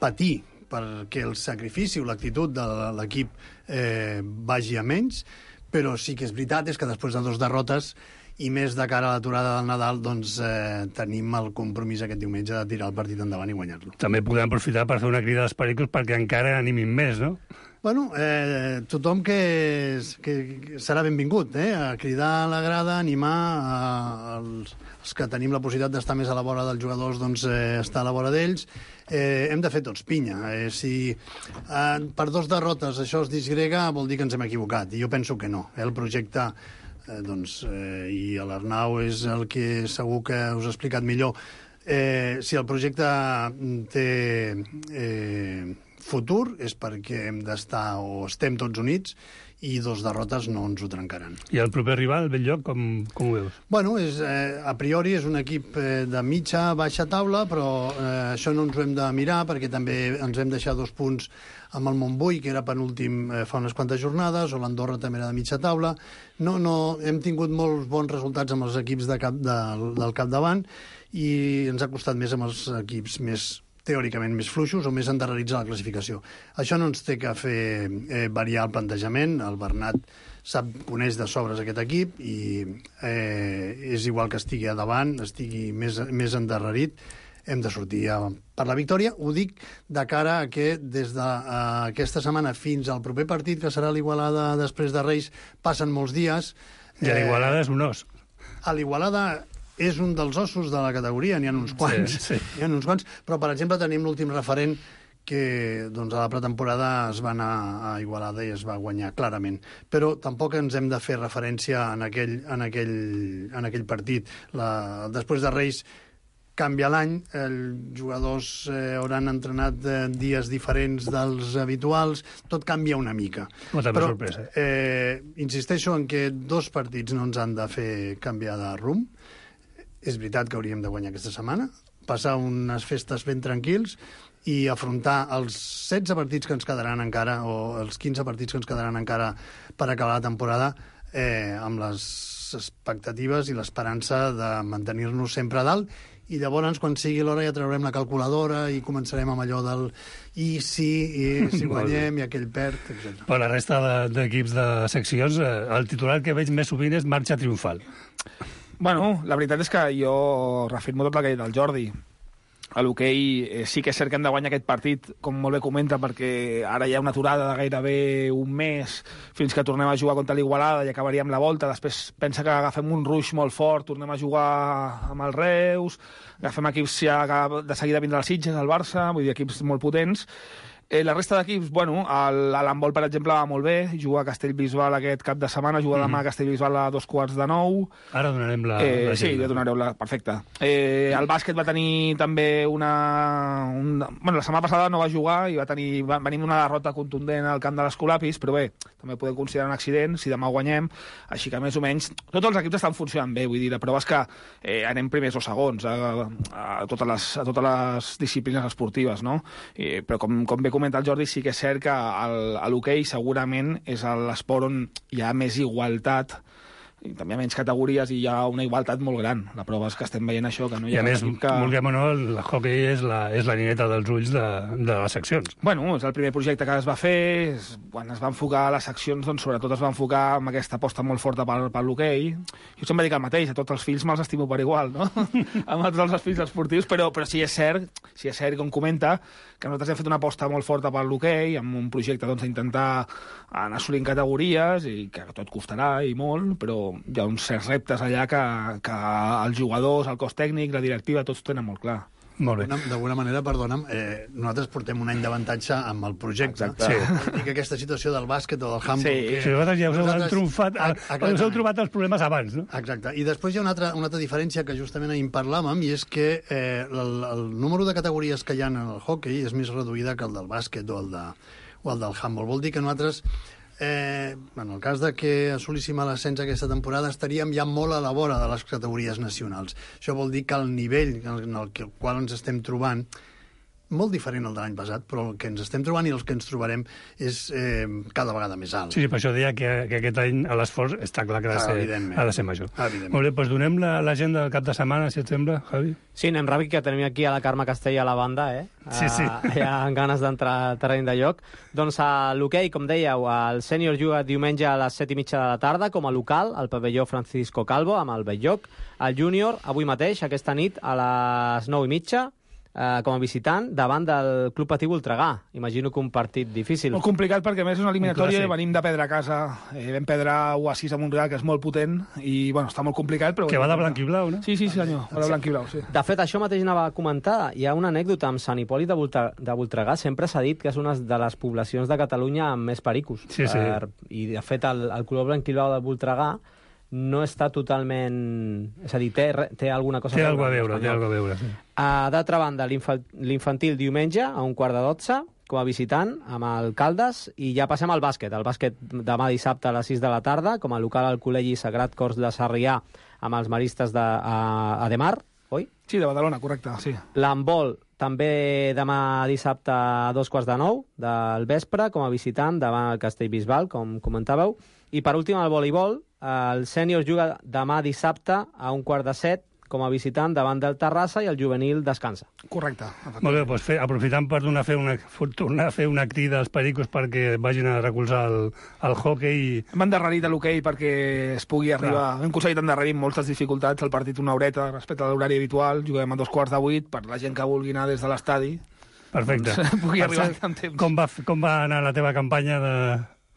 L: patir perquè el sacrifici o l'actitud de l'equip eh, vagi a menys, però sí que és veritat és que després de dos derrotes i més de cara a l'aturada del Nadal, doncs eh, tenim el compromís aquest diumenge de tirar el partit endavant i guanyar-lo.
F: També podem aprofitar per fer una crida als pericos perquè encara animin més, no?
L: Bueno, eh, tothom que, que serà benvingut, eh, a cridar a la grada, animar a, als, els que tenim la possibilitat d'estar més a la vora dels jugadors, doncs eh, estar a la vora d'ells. Eh, hem de fer tots pinya. Eh, si eh, per dos derrotes això es disgrega, vol dir que ens hem equivocat, i jo penso que no. Eh, el projecte Eh, doncs, eh, i l'Arnau és el que segur que us ha explicat millor. Eh, si el projecte té eh, futur és perquè hem d'estar o estem tots units i dos derrotes no ens ho trencaran.
F: I el proper rival, Belllloc, com, com ho veus?
L: Bueno, és, eh, a priori és un equip eh, de mitja, baixa taula, però eh, això no ens ho hem de mirar perquè també ens hem deixat dos punts amb el Montbui, que era penúltim eh, fa unes quantes jornades, o l'Andorra també era de mitja taula. No, no, hem tingut molts bons resultats amb els equips de cap, de, del capdavant i ens ha costat més amb els equips més teòricament més fluixos o més endarrerits a la classificació. Això no ens té que fer eh, variar el plantejament. El Bernat sap, coneix de sobres aquest equip i eh, és igual que estigui a davant, estigui més, més endarrerit, hem de sortir a, per la victòria. Ho dic de cara a que des d'aquesta de, setmana fins al proper partit, que serà l'Igualada després de Reis, passen molts dies.
F: I a l'Igualada eh, és un os.
L: A l'Igualada és un dels ossos de la categoria, n'hi ha uns quants,
F: sí, sí.
L: N'hi ha uns quants, però per exemple tenim l'últim referent que doncs, a la pretemporada es va anar a Igualada i es va guanyar clarament. Però tampoc ens hem de fer referència en aquell, en aquell, en aquell partit. La, després de Reis canvia l'any, els jugadors eh, hauran entrenat eh, dies diferents dels habituals, tot canvia una mica.
F: Molta
L: Però,
F: sorpresa.
L: Eh, insisteixo en que dos partits no ens han de fer canviar de rumb. És veritat que hauríem de guanyar aquesta setmana, passar unes festes ben tranquils i afrontar els setze partits que ens quedaran encara, o els quinze partits que ens quedaran encara per acabar la temporada, eh, amb les expectatives i l'esperança de mantenir-nos sempre a dalt, i llavors, quan sigui l'hora, ja traurem la calculadora i començarem amb allò del i si, i si guanyem, i aquell perd, etcètera.
F: Per la resta d'equips de, de seccions, el titular que veig més sovint és marxa triomfal.
K: Bueno, la veritat és que jo reafirmo tot el que ha dit el Jordi. A l'hoquei eh, sí que és cert que hem de guanyar aquest partit, com molt bé comenta, perquè ara hi ha una aturada de gairebé un mes fins que tornem a jugar contra l'Igualada i acabaríem la volta. Després pensa que agafem un ruix molt fort, tornem a jugar amb el Reus, agafem equips ja de seguida vindrà el Sitges, el Barça, vull dir, equips molt potents. Eh, la resta d'equips, bueno, l'handbol, per exemple, va molt bé, juga a Castellbisbal aquest cap de setmana, juga demà a Castellbisbal a dos quarts de nou.
F: Ara donarem la...
K: Eh,
F: la
K: sí, ja donareu la... Perfecte. Eh, el bàsquet va tenir també una... una... Bueno, la setmana passada no va jugar i va tenir... Va, venim d'una derrota contundent al camp de l'Escolapis, però bé, també podem considerar un accident si demà guanyem, així que més o menys tots els equips estan funcionant bé, vull dir, la prova és que eh, anem primers o segons a, a, totes les, a totes les disciplines esportives, no? Eh, però com, com bé comenta el Jordi, sí que és cert que el, a l'hoquei segurament és l'esport on hi ha més igualtat, i també hi ha menys categories i hi ha una igualtat molt gran. La prova és que estem veient això, que no hi ha...
F: I a més,
K: que...
F: vulguem o no, el hoquei és la, és la nineta dels ulls de, de les seccions.
K: Bueno, és el primer projecte que es va fer, és, quan es va enfocar les seccions, doncs sobretot es va enfocar amb aquesta aposta molt forta per, per l'hoquei. Jo sempre dic el mateix, a tots els fills me'ls estimo per igual, no? Amb tots els fills esportius, però, però sí és cert, sí és cert, com comenta, que nosaltres hem fet una aposta molt forta per l'hoquei, amb un projecte doncs, d'intentar anar assolint categories, i que tot costarà i molt, però hi ha uns certs reptes allà que, que els jugadors, el cos tècnic, la directiva, tots tenen molt clar.
F: Molt bé.
L: D'alguna manera, perdona'm, eh, nosaltres portem un any d'avantatge amb el projecte.
F: Exacte. Sí.
L: I que aquesta situació del bàsquet o del handball...
F: Sí, que... sí vosaltres ja us heu tromfat, us heu trobat els problemes abans, no?
L: Exacte. I després hi ha una altra, una altra diferència que justament ahir en parlàvem, i és que eh, el, el número de categories que hi ha en el hockey és més reduïda que el del bàsquet o el, de, o el del handball. Vol dir que nosaltres... Eh, en el cas de que assolíssim l'ascens aquesta temporada estaríem ja molt a la vora de les categories nacionals. Això vol dir que el nivell en el qual ens estem trobant, molt diferent al de l'any passat, però el que ens estem trobant i el que ens trobarem és eh, cada vegada més alt.
F: Sí, sí, per això deia que, que aquest any l'esforç està clar que ha de ser, ha de ser major. Molt bé, doncs donem l'agenda la, del cap de setmana, si et sembla, Javi.
G: Sí, anem ràpid, que tenim aquí a la Carme Castella a la banda, eh?
F: Sí, sí.
G: Uh, hi ha ganes d'entrar al terreny de lloc. Doncs a l'hoquei, com dèieu, el sènior juga diumenge a les set i mitja de la tarda com a local, al pavelló Francisco Calvo, amb el Belllloc. El júnior, avui mateix, aquesta nit, a les nou i mitja, Uh, com a visitant, davant del Club Patí Voltregà. Imagino que un partit difícil.
K: Molt complicat, perquè a més és una eliminatòria i venim de perdre a casa. Eh, vam perdre u a sis a Montreal, que és molt potent, i bueno, està molt complicat. Però
F: que va de blanc i blau, no?
K: Sí, sí, senyor, va de blanc i blau, sí.
G: De fet, això mateix anava a comentar. Hi ha una anècdota amb Sant Hipòlit de, Volta, de Voltregà. Sempre s'ha dit que és una de les poblacions de Catalunya amb més pericos.
F: Sí, sí.
G: Per, I, de fet, el, el color blanc i blau de Voltregà no està totalment... És a dir, té, té alguna cosa...
F: Té alguna a veure, té alguna a veure, sí.
G: Uh, D'altra banda, l'infantil diumenge, a un quart de dotze, com a visitant, amb el Caldes, i ja passem al bàsquet. El bàsquet demà dissabte a les sis de la tarda, com a local al Col·legi Sagrat Cors de Sarrià, amb els maristes de a, a Demar, oi?
K: Sí, de Badalona, correcte, sí.
G: L'handbol, també demà dissabte a dos quarts de nou del vespre, com a visitant, davant el Castellbisbal, com comentàveu. I per últim, el voleibol, el sènior juga demà dissabte a un quart de set, com a visitant davant del Terrassa, i el juvenil descansa.
K: Correcte.
F: Molt bé, doncs fer, aprofitant per donar, fer una, tornar a fer una crida als pericos perquè vagin a recolzar el, el hockey. I...
K: Hem endarrerit a l'hoquei perquè es pugui arribar... Clar. Hem aconseguit endarrerir amb moltes dificultats el partit una horeta respecte a l'horari habitual. Juguem a dos quarts de vuit per la gent que vulgui anar des de l'estadi.
F: Perfecte.
K: Doncs, pugui arribar en temps.
F: Com va, com va anar la teva campanya de...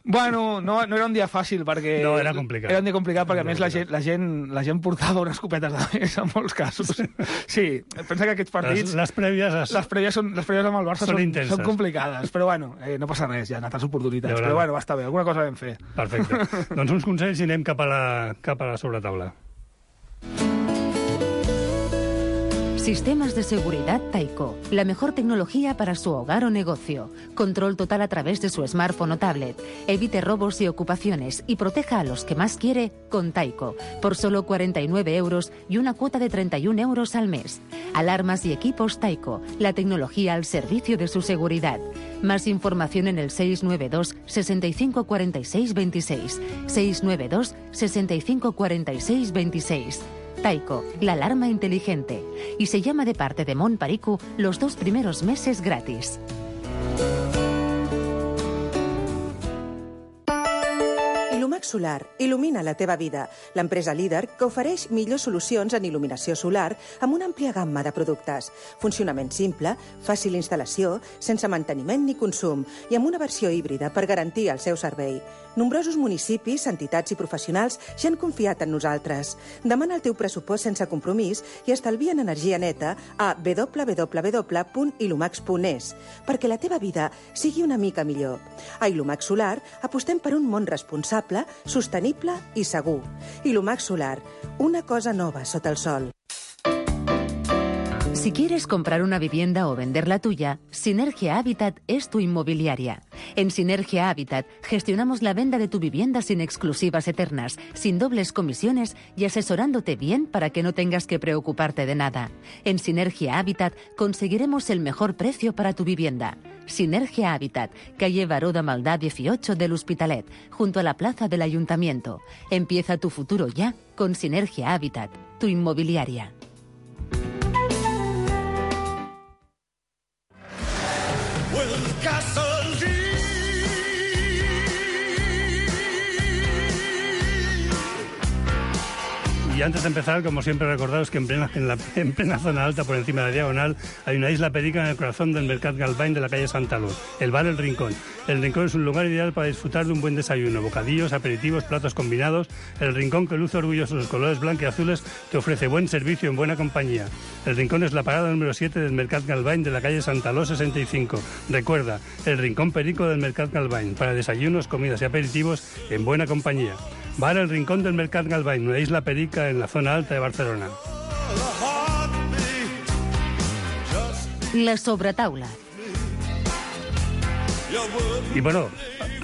K: Bueno, no, no era un dia fàcil, perquè...
F: No, era complicat.
K: Era un dia complicat, perquè, a més, la gent, la gent, la gent portava unes copetes de més, en molts casos. Sí, pensa que aquests partits...
F: Les, les prèvies... Es...
K: Les prèvies, són, les prèvies amb el Barça
F: són,
K: són, són complicades, però bueno, eh, no passa res, ja han altres oportunitats. Però bueno, va estar bé, alguna cosa vam fer.
F: Perfecte. Doncs uns consells i anem cap a la, cap a la sobretaula.
D: Sistemas de seguridad Taiko, la mejor tecnología para su hogar o negocio. Control total a través de su smartphone o tablet. Evite robos y ocupaciones y proteja a los que más quiere con Taiko, por solo cuarenta y nueve euros y una cuota de treinta y un euros al mes. Alarmas y equipos Taiko, la tecnología al servicio de su seguridad. Más información en el seis nueve dos, sesenta y cinco cuarenta y seis veintiséis. seis nueve dos, sesenta y cinco cuarenta y seis veintiséis. Taiko, la alarma inteligente. Y se llama de parte de Mon Paricu los dos primeros meses gratis.
N: Ilumax Solar il·lumina la teva vida. L'empresa líder que ofereix millors solucions en il·luminació solar amb una àmplia gamma de productes. Funcionament simple, fàcil instal·lació, sense manteniment ni consum i amb una versió híbrida per garantir el seu servei. Nombrosos municipis, entitats i professionals ja han confiat en nosaltres. Demana el teu pressupost sense compromís i estalvia en energia neta a w w w punt ilumax punt es perquè la teva vida sigui una mica millor. A Ilumax Solar apostem per un món responsable, sostenible i segur. Ilumax Solar, una cosa nova sota el sol.
D: Si quieres comprar una vivienda o vender la tuya, Sinergia Habitat es tu inmobiliaria. En Sinergia Habitat gestionamos la venta de tu vivienda sin exclusivas eternas, sin dobles comisiones y asesorándote bien para que no tengas que preocuparte de nada. En Sinergia Habitat conseguiremos el mejor precio para tu vivienda. Sinergia Habitat, calle Baró de Maldá dieciocho del Hospitalet, junto a la plaza del Ayuntamiento. Empieza tu futuro ya con Sinergia Habitat, tu inmobiliaria.
F: Y antes de empezar, como siempre, recordaros que en plena, en, la, en plena zona alta, por encima de la diagonal, hay una isla perica en el corazón del Mercat Galvany de la calle Santa Luz, el bar El Rincón. El Rincón es un lugar ideal para disfrutar de un buen desayuno, bocadillos, aperitivos, platos combinados. El Rincón, que luce orgulloso sus colores blancos y azules, te ofrece buen servicio en buena compañía. El Rincón es la parada número siete del Mercat Galvany de la calle Santa Luz sesenta y cinco. Recuerda, el Rincón Perico del Mercat Galvany, para desayunos, comidas y aperitivos en buena compañía. Bar El Rincón del Mercat Galvany, una isla perica en la zona alta de Barcelona.
D: La sobretaula.
F: I, bueno,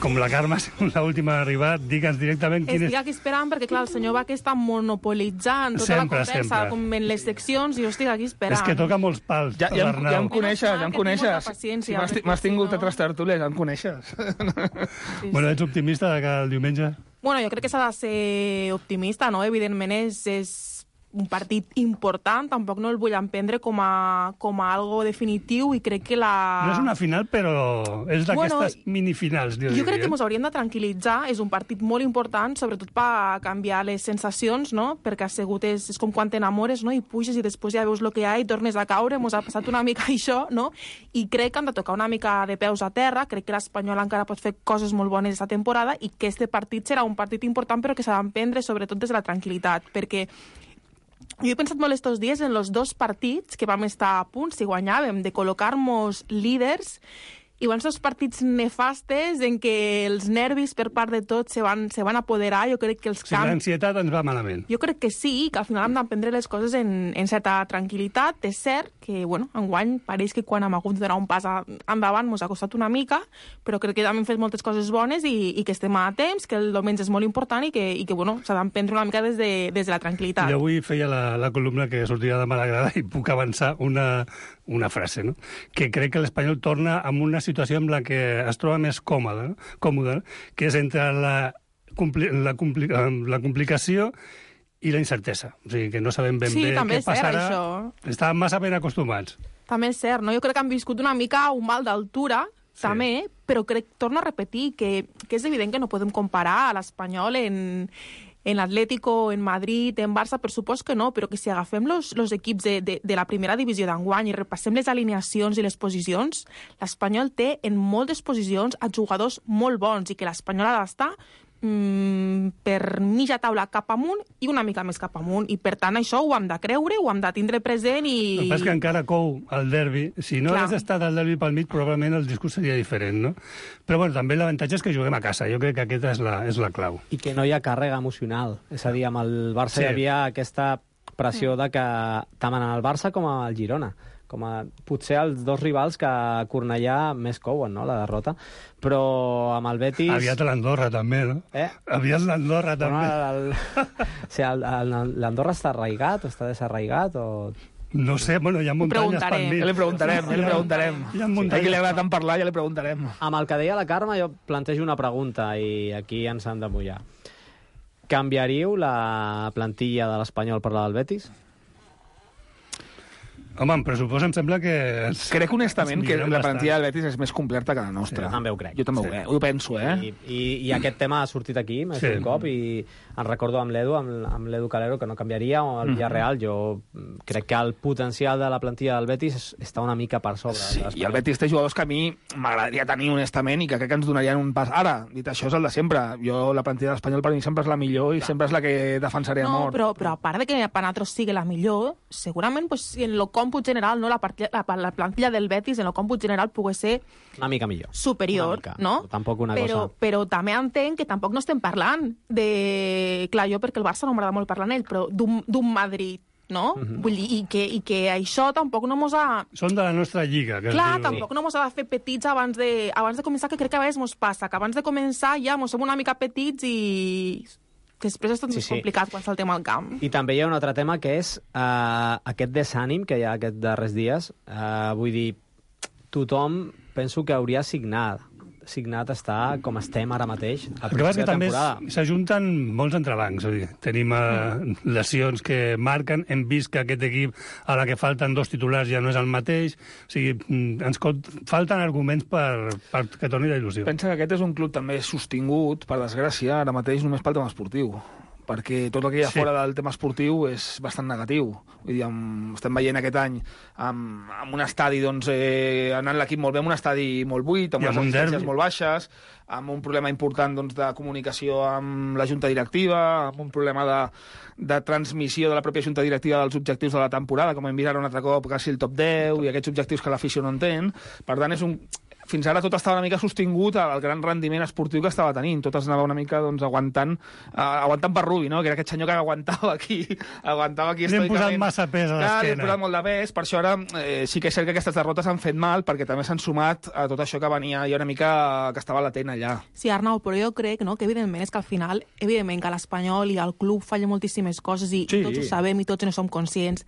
F: com la Carme és l'última a arribar, digue'ns directament quin és...
P: Estic aquí esperant perquè, clar, el senyor Vaque està monopolitzant tota
F: sempre,
P: la conversa,
F: sempre.
P: com en les seccions, i jo estic aquí esperant.
F: És que toca molts pals,
K: ja, ja, ja em coneixes, ja em coneixes.
P: Si
K: m'has tingut a tres tertúlies, ja em coneixes.
P: Sí,
F: bueno, ets optimista de cara al diumenge?
P: Bueno, jo crec que s'ha de ser optimista, no? Evidentment és, és un partit important, tampoc no el vull emprendre com a, com a algo definitiu, i crec que la...
F: No és una final, però és d'aquestes
P: bueno,
F: minifinals, jo,
P: jo crec que
F: diria.
P: ens hauríem de tranquil·litzar, és un partit molt important, sobretot per canviar les sensacions, no? Perquè assegut és, és com quan t'enamores, no? I puges i després ja veus el que hi ha i tornes a caure, mos ha passat una mica això, no? I crec que han de tocar una mica de peus a terra, crec que l'Espanyol encara pot fer coses molt bones aquesta temporada i que este partit serà un partit important però que s'ha d'emprendre sobretot des de la tranquil·litat, perquè jo he pensat molt estos dies en los dos partits que vam estar a punt, si guanyàvem, de col·locar-nos líders, i van ser els partits nefastes en què els nervis per part de tots se van, se van apoderar. Jo crec que els
F: Si
P: camps...
F: l'ansietat ens va malament.
P: Jo crec que sí, que al final hem d'aprendre les coses en, en certa tranquil·litat. És cert que, bueno, enguany pareix que quan hem hagut de donar un pas a, endavant ens ha costat una mica, però crec que també hem fet moltes coses bones i, i que estem a temps, que el diumenge és molt important i que, i que bueno, s'ha d'emprendre una mica des de, des de la tranquil·litat.
F: Jo avui feia la, la columna que sortia de Malagrada i puc avançar una, una frase, no? Que crec que l'Espanyol torna amb una situació en la que es troba més còmode, no? còmode, que és entre la, compli la, compli la complicació i la incertesa. O sigui, que no sabem ben
P: sí,
F: bé què passarà.
P: Això.
F: Estàvem massa ben acostumats.
P: També és cert, no? Jo crec que han viscut una mica un mal d'altura, sí. també, però crec, torno a repetir, que, que és evident que no podem comparar a l'Espanyol en... en l'Atlético, en Madrid, en Barça, per supost que no, però que si agafem los, los equips de, de, de la primera divisió d'enguany i repassem les alineacions i les posicions, l'Espanyol té en moltes posicions a jugadors molt bons i que l'Espanyol ha d'estar mm, per mitja taula cap amunt i una mica més cap amunt. I per tant això ho hem de creure, ho hem de tindre present i...
F: El que passa és que encara cou el derbi. Si no
P: Clar.
F: hagués estat el derbi pel mig, probablement el discurs seria diferent, no? Però bueno, també l'avantatge és que juguem a casa. Jo crec que aquesta és la, és la clau.
G: I que no hi ha càrrega emocional. És a dir, amb el Barça
F: Sí.
G: hi havia aquesta pressió de que tant en el Barça com al Girona, com a potser els dos rivals que a Cornellà més couen, no?, la derrota. Però amb el Betis...
F: Aviat l'Andorra, també, no?
G: Eh?
F: Aviat l'Andorra, també.
G: Bueno, el... o sigui, l'Andorra està arraigat o està desarraigat o...
F: No sé, bueno, hi ha muntanyes pel mig.
K: Ja li preguntarem, ja li preguntarem.
F: Hi ha
K: A
F: muntanyes.
K: qui li agrada tant parlar, ja li preguntarem.
G: Amb el que deia la Carme, jo plantejo una pregunta i aquí ens han de mullar. Canviaríeu la plantilla de l'Espanyol per la del Betis?
F: Home, en pressupost em sembla que...
K: Crec honestament que la plantilla
F: bastant.
K: del Betis és més completa que la nostra.
G: Jo també ho crec.
K: Jo també
G: Sí.
K: ho, crec, ho penso, eh?
G: I, i, i aquest tema ha sortit aquí més
F: Sí.
G: d'un cop i en recordo amb l'Edu, amb, amb l'Edu Calero, que no canviaria, o el
K: Mhm.
G: Villarreal. Jo crec que el potencial de la plantilla del Betis és- està una mica per sobre.
K: Sí,
G: de l'Espanyol.
K: i el Betis té jugadors que a mi m'agradaria tenir honestament i que crec que ens donarien un pas. Ara, dit això, és el de sempre. Jo, la plantilla de l'Espanyol per mi sempre és la millor i sempre és la que defensaré a
P: No,
K: mort.
P: però, però a part de que per nosaltres sigui la millor, segurament pues, si en el còmput general, no, la, partida, la, la plantilla del Betis en el còmput general pugui ser
G: Una mica millor.
P: superior,
G: Una mica.
P: no?
G: Tampoc una
P: però,
G: cosa...
P: Però també entenc que tampoc no estem parlant de... Clar, jo perquè el Barça no m'agrada molt parlar en ell, però d'un d'un Madrid, no?
F: Mhm.
P: Vull dir, i que, i que això tampoc no mos ha...
F: Són de la nostra lliga, que
P: Clar,
F: es diu.
P: tampoc no mos ha de fer petits abans de, abans de començar, que crec que a vegades mos passa, que abans de començar ja mos som una mica petits i després és tot
G: Sí,
P: més
G: sí.
P: complicat quan saltem al camp.
G: I també hi ha un altre tema que és uh, aquest desànim que hi ha aquests darrers dies. Uh, vull dir, tothom penso que hauria signat signat està com estem ara mateix a
F: El que passa és que també
G: temporada.
F: s'ajunten molts entrebancs. És a dir, tenim uh, lesions que marquen, hem vist que aquest equip, a la que falten dos titulars, ja no és el mateix. O sigui, mm, ens cot- falten arguments per, per que torni la il·lusió.
K: Pensa que aquest és un club també sostingut, per desgràcia, ara mateix només pel tema esportiu. perquè tot el que hi ha
F: Sí.
K: fora del tema esportiu és bastant negatiu. Vull dir, amb, estem veient aquest any amb, amb un estadi, doncs, eh, anant l'equip molt bé, amb un estadi molt buit, amb
F: I
K: unes
F: amb un
K: assistències
F: derbi.
K: molt baixes, amb un problema important, doncs, de comunicació amb la junta directiva, amb un problema de, de transmissió de la pròpia junta directiva dels objectius de la temporada, com hem vist ara un altre cop, quasi el top deu, i aquests objectius que l'afició no entén. Per tant, és un... fins ara tot estava una mica sostingut al gran rendiment esportiu que estava tenint. Tot es anava una mica, doncs, aguantant, uh, aguantant per Rubi, no? Que era aquest senyor que aguantava aquí, aguantava aquí
F: Li hem posat
K: estoicament.
F: massa pes a
K: Clar, li hem
F: l'esquena.
K: posat molt de pes, per això ara eh, sí que és cert que aquestes derrotes han fet mal, perquè també s'han sumat a tot això que venia ja una mica, que estava latent allà.
P: Sí, Arnau, però jo crec, no?, que evidentment és que al final, evidentment que l'Espanyol i el club fallen moltíssimes coses i,
K: Sí.
P: i tots ho sabem i tots no som conscients,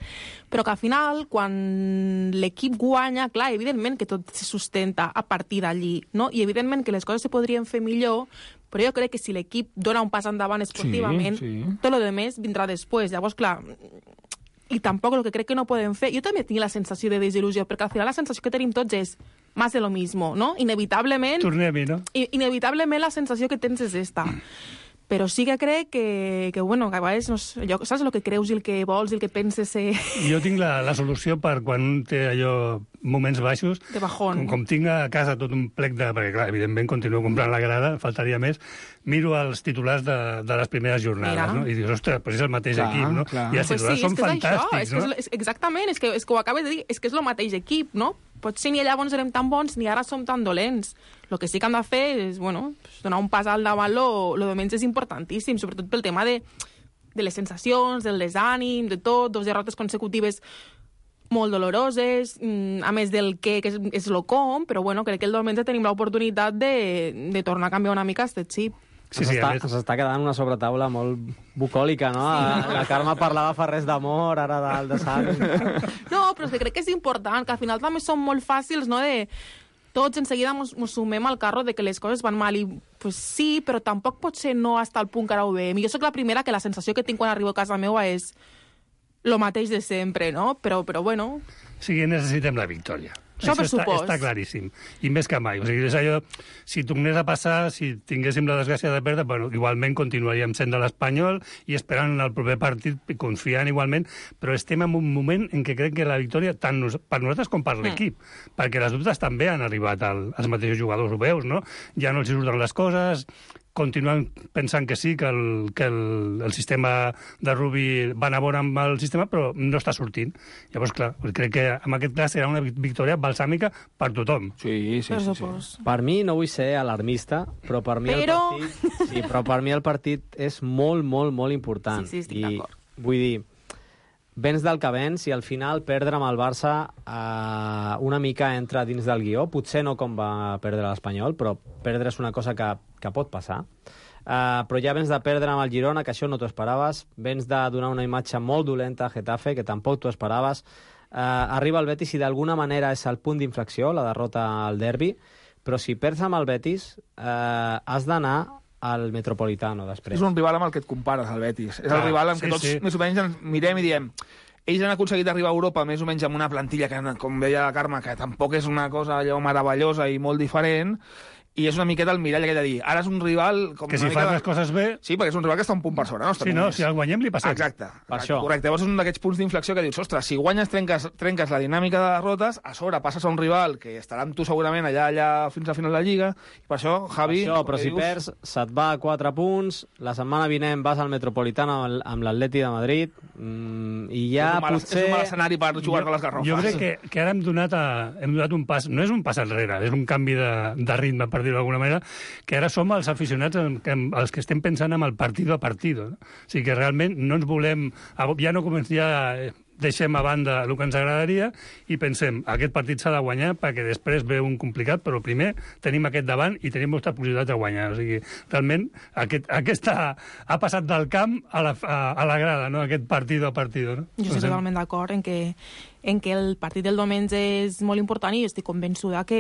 P: però que al final, quan l'equip guanya, clar, evidentment que tot se sustenta a partir d'allí, no? I evidentment que les coses se podrien fer millor, però jo crec que si l'equip dona un pas endavant esportivament,
K: Sí, sí.
P: tot lo demés vindrà després. Llavors, clar, i tampoc el que crec que no podem fer... Jo també tinc la sensació de desil·lusió, perquè al final la sensació que tenim tots és más de lo mismo, no? Inevitablement...
F: Tornem-hi, no?
P: I- inevitablement la sensació que tens és esta. Però sí que crec que, que bueno, que a vegades no sé, allò, saps el que creus i el que vols i el que penses ser
F: Jo tinc la, la solució per quan un té allò moments baixos,
P: de bajón.
F: com, com tinc a casa tot un plec de... Perquè, clar, evidentment, continuo comprant la grada, faltaria més. Miro els titulars de, de les primeres jornades,
P: Mira.
F: no? I dius, ostres, però és el mateix
K: Clar,
F: equip, no?
K: clar.
F: I els
P: Pues
F: titulars
P: sí,
F: són
P: és que és
F: fantàstics,
P: això, és que
F: no?
P: és, és, exactament, és que, és que ho acabes de dir, és que és el mateix equip, no? Potser ni llavors érem tan bons ni ara som tan dolents. El que sí que hem de fer és, bueno, pues, donar un pas al davant, lo, lo de menys és importantíssim, sobretot pel tema de, de les sensacions, del desànim, de tot, dos derrotes consecutives molt doloroses, mm, a més del què, que és, és lo com, però bueno, crec que el diumenge tenim l'oportunitat de, de tornar a canviar una mica aquest xip.
F: Sí, sí, a
G: S'està
F: més...
G: s'està quedant una sobretaula molt bucòlica, no? Sí. La Carme parlava fa res d'amor, ara del de sang.
P: No, però és que crec que és important, que al final també són molt fàcils, no?, de tots en seguida mos, mos sumem al carro de que les coses van mal i pues sí, però tampoc pot ser no hasta el punt que ara ho veiem. I jo sóc la primera que la sensació que tinc quan arribo a casa meva és lo mateix de sempre, no? Però, però bueno...
F: O sigui, necessitem la victòria.
P: Això per
F: està,
P: supost.
F: està claríssim. I més que mai. O sigui, és allò, si tornés a passar, si tinguéssim la desgràcia de perdre, bueno, igualment continuaríem sent de l'Espanyol i esperant el proper partit i confiant igualment, però estem en un moment en què crec que la victòria, tant nos, per nosaltres com per l'equip, mm. perquè les dubtes també han arribat al, als mateixos jugadors, ho veus, no? Ja no els surten les coses, continuen pensant que sí, que el, que el, el sistema de Rubi va anar bon amb el sistema, però no està sortint. Llavors, clar, crec que en aquest cas serà una victòria balsàmica per tothom.
K: Sí, sí,
P: Per
K: sí. sí.
P: supost.
G: Per mi, no vull ser alarmista, però per mi
P: Però-
G: el partit... Sí, però per mi el partit és molt, molt, molt important.
P: Sí, sí, estic
G: I
P: d'acord.
G: vull dir, vens del que vens i al final perdre amb el Barça eh, una mica entra dins del guió. Potser no com va perdre l'Espanyol, però perdre és una cosa que, que pot passar. Uh, però ja vens de perdre amb el Girona, que això no t'ho esperaves. Vens de donar una imatge molt dolenta a Getafe, que tampoc t'ho esperaves. Uh, arriba el Betis i d'alguna manera és el punt d'inflexió, la derrota al derbi, però si perds amb el Betis uh, has d'anar al Metropolitano després.
K: És un rival amb el que et compares, el Betis. És
F: Ah,
K: el rival amb
F: sí,
K: què tots
F: sí.
K: més o menys ens mirem i diem ells han aconseguit arribar a Europa més o menys amb una plantilla que, com deia la Carme, que tampoc és una cosa allò meravellosa i molt diferent, i és una miqueta el mirall aquell de dir, ara és un rival... Com
F: Que
K: una
F: si
K: mica
F: fas
K: de-
F: les coses bé...
K: Sí, perquè és un rival que està un punt per sobre nostre.
F: Sí, no,
K: només.
F: si el guanyem li passem.
K: Exacte.
G: Per això.
K: Correcte. Llavors és un d'aquests punts d'inflexió que dius, ostres, si guanyes trenques, trenques la dinàmica de derrotes, a sobre passes a un rival que estarà amb tu segurament allà allà fins a final de Lliga, i per això, Javi...
G: Això, però
K: com
G: si
K: dius,
G: perds, se't va a quatre punts, la setmana vinent vas al Metropolitano amb, amb l'Atleti de Madrid, mm, i ja
K: és un mal,
G: potser...
K: És un mal escenari per jugar-te les garrofes.
F: Jo crec que, que ara hem donat, a, hem donat un pas, no és un pas enrere, és un canvi de, de ritme, per dir-ho d'alguna manera, que ara som els aficionats en, en, els que estem pensant en el partido a partido. No? O sigui que realment no ens volem... Ja no comencem, ja deixem a banda el que ens agradaria i pensem, aquest partit s'ha de guanyar perquè després ve un complicat, però primer tenim aquest davant i tenim moltes possibilitats de guanyar. O sigui, realment, aquest, aquesta ha passat del camp a la, a, a la grada, no? Aquest partido a partido. No?
P: Jo estic totalment d'acord en que en que el partit del diumenge és molt important i estic convençuda que,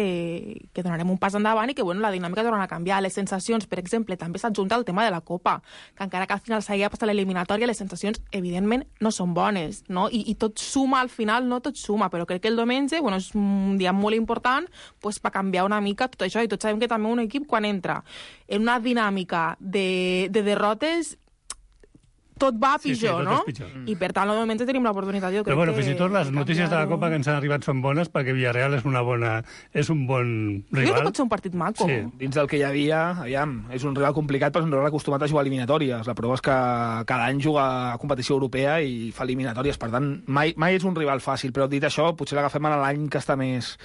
P: que donarem un pas endavant i que bueno, la dinàmica tornarà a canviar. Les sensacions, per exemple, també s'adjunta al tema de la Copa, que encara que al final s'hagi passat l'eliminatòria, les sensacions, evidentment, no són bones, no? I, i tot suma, al final, no tot suma, però crec que el diumenge bueno, és un dia molt important pues, per canviar una mica tot això, i tots sabem que també un equip, quan entra en una dinàmica de, de derrotes, tot va
F: Sí, sí,
P: pitjor,
F: tot
P: no?
F: és pitjor.
P: I per tant, de moment tenim l'oportunitat, jo crec
F: Però bueno,
P: que...
F: fins i tot les notícies de la Copa que ens han arribat són bones perquè Villarreal és una bona, és un bon
P: Jo crec que
F: rival.
P: pot ser un partit maco.
F: Sí.
K: Dins del que hi havia, aviam, és un rival complicat, però és un rival acostumat a jugar eliminatòries. La prova és que cada any juga a competició europea i fa eliminatòries, per tant, mai, mai és un rival fàcil, però dit això, potser l'agafem en l'any que està més,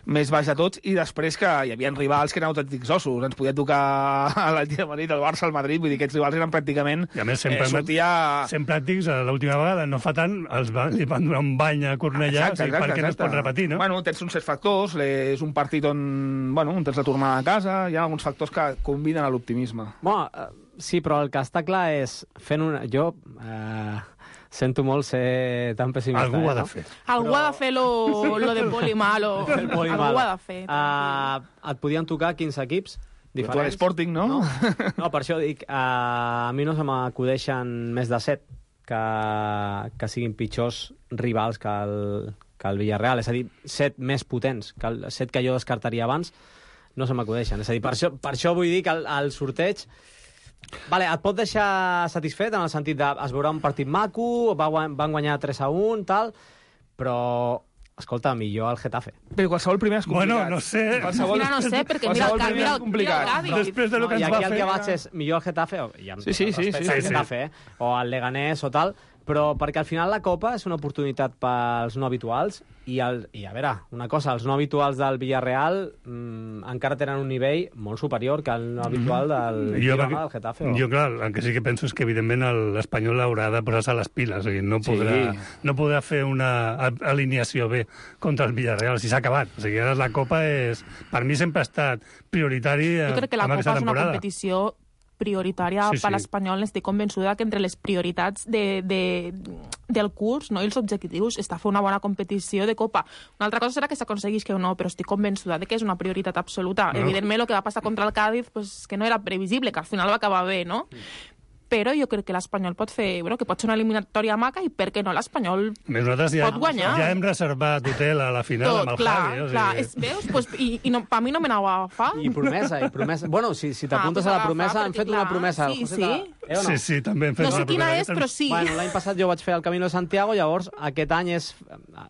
K: més baix de tots, i després que hi havia rivals que eren autèntics ossos. Ens podia tocar l'Atlètic de Madrid, el Barça, el Madrid, vull dir que aquests rivals eren pràcticament...
F: I a més, sempre,
K: eh, sortia...
F: sent pràctics, l'última vegada, no fa tant, els va, li van donar un bany a Cornellà,
K: Exacte,
F: o sigui,
K: exacte,
F: perquè no es pot
K: exacte.
F: repetir, no?
K: Bueno, tens uns certs factors, és un partit on, bueno, on tens la tornada a casa, hi ha alguns factors que conviden a l'optimisme.
G: Bueno, eh, sí, però el que està clar és fent una... Jo eh, sento molt ser tan pessimista.
F: Algú ho ha
G: eh,
F: de
G: no?
F: fer.
P: Algú ha de fer lo, lo de poli malo.
G: El poli
P: Algú
G: malo.
P: ho ha de fer.
G: Uh, et podien tocar quinze equips diferents.
K: Tu a l'Sporting, no?
G: No, no per això dic, uh, a mi no se m'acudeixen més de set que, que siguin pitjors rivals que el, que el Villarreal. És a dir, set més potents, que el set que jo descartaria abans, no se m'acudeixen. És a dir, per això, per això vull dir que el, el sorteig... Vale, et pot deixar satisfet en el sentit de es veurà un partit maco, va, van guanyar tres a un, tal, però, escolta, millor el Getafe.
K: Però qualsevol primer és complicat.
F: Bueno, no sé.
K: Qualsevol...
P: Mira, no sé, perquè mira el,
K: primer
P: mira,
K: és complicat.
P: mira el Cádiz.
F: Després de lo
G: No,
F: que
G: I
F: ens
G: aquí
F: va
G: el
F: fer...
G: que vaig és millor el Getafe, o, i amb
K: Sí, sí,
G: tot el
K: sí,
G: respecte
K: sí,
G: al
F: sí.
G: Getafe, eh? O el Leganés o tal, però perquè al final la Copa és una oportunitat pels no habituals i, el, i a veure, una cosa, els no habituals del Villarreal mmm, encara tenen un nivell molt superior que el no habitual del
F: Jo,
G: Girona, del Getafe. O...
F: jo, clar, el que sí que penso és que, evidentment, el- l'Espanyol haurà de posar-se les piles. O sigui, no podrà,
K: Sí.
F: no podrà fer una a- alineació bé contra el Villarreal. Si s'ha acabat. O sigui, ara la Copa és... Per mi sempre ha estat prioritari
P: Jo crec que la
F: amb
P: Copa
F: aquesta
P: és una
F: temporada.
P: competició prioritària
F: Sí,
P: sí, per
F: sí.
P: l'Espanyol. Estic convençuda que entre les prioritats de, de, del curs, no, i els objectius està fer una bona competició de Copa. Una altra cosa serà que s'aconseguís que o no, però estic convençuda de que és una prioritat absoluta.
F: No.
P: Evidentment, el que va passar contra el Cádiz, pues, que no era previsible, que al final va acabar bé, no? Però jo crec que l'Espanyol pot fer... Bueno, que pot ser una eliminatòria maca i per què no l'Espanyol
F: Més nosaltres ja,
P: pot guanyar.
F: ja hem reservat hotel a la final
P: tot,
F: amb el
P: clar,
F: Javi. O sigui...
P: clar. És, veus? Pues, I i no, per mi no me n'anava a agafar.
G: I promesa, i promesa. Bueno, si, si t'apuntes
P: Ah, pues
G: a la
P: agafa,
G: promesa, han
P: perquè,
G: fet una
P: clar,
G: promesa.
P: sí,
G: El José
P: sí.
G: de- eh, o no?
F: Sí, sí, també hem fet
P: No sé
F: una
P: quina
F: promesa.
P: és, però sí.
G: Bueno, l'any passat jo vaig fer el Camino de Santiago, llavors aquest any és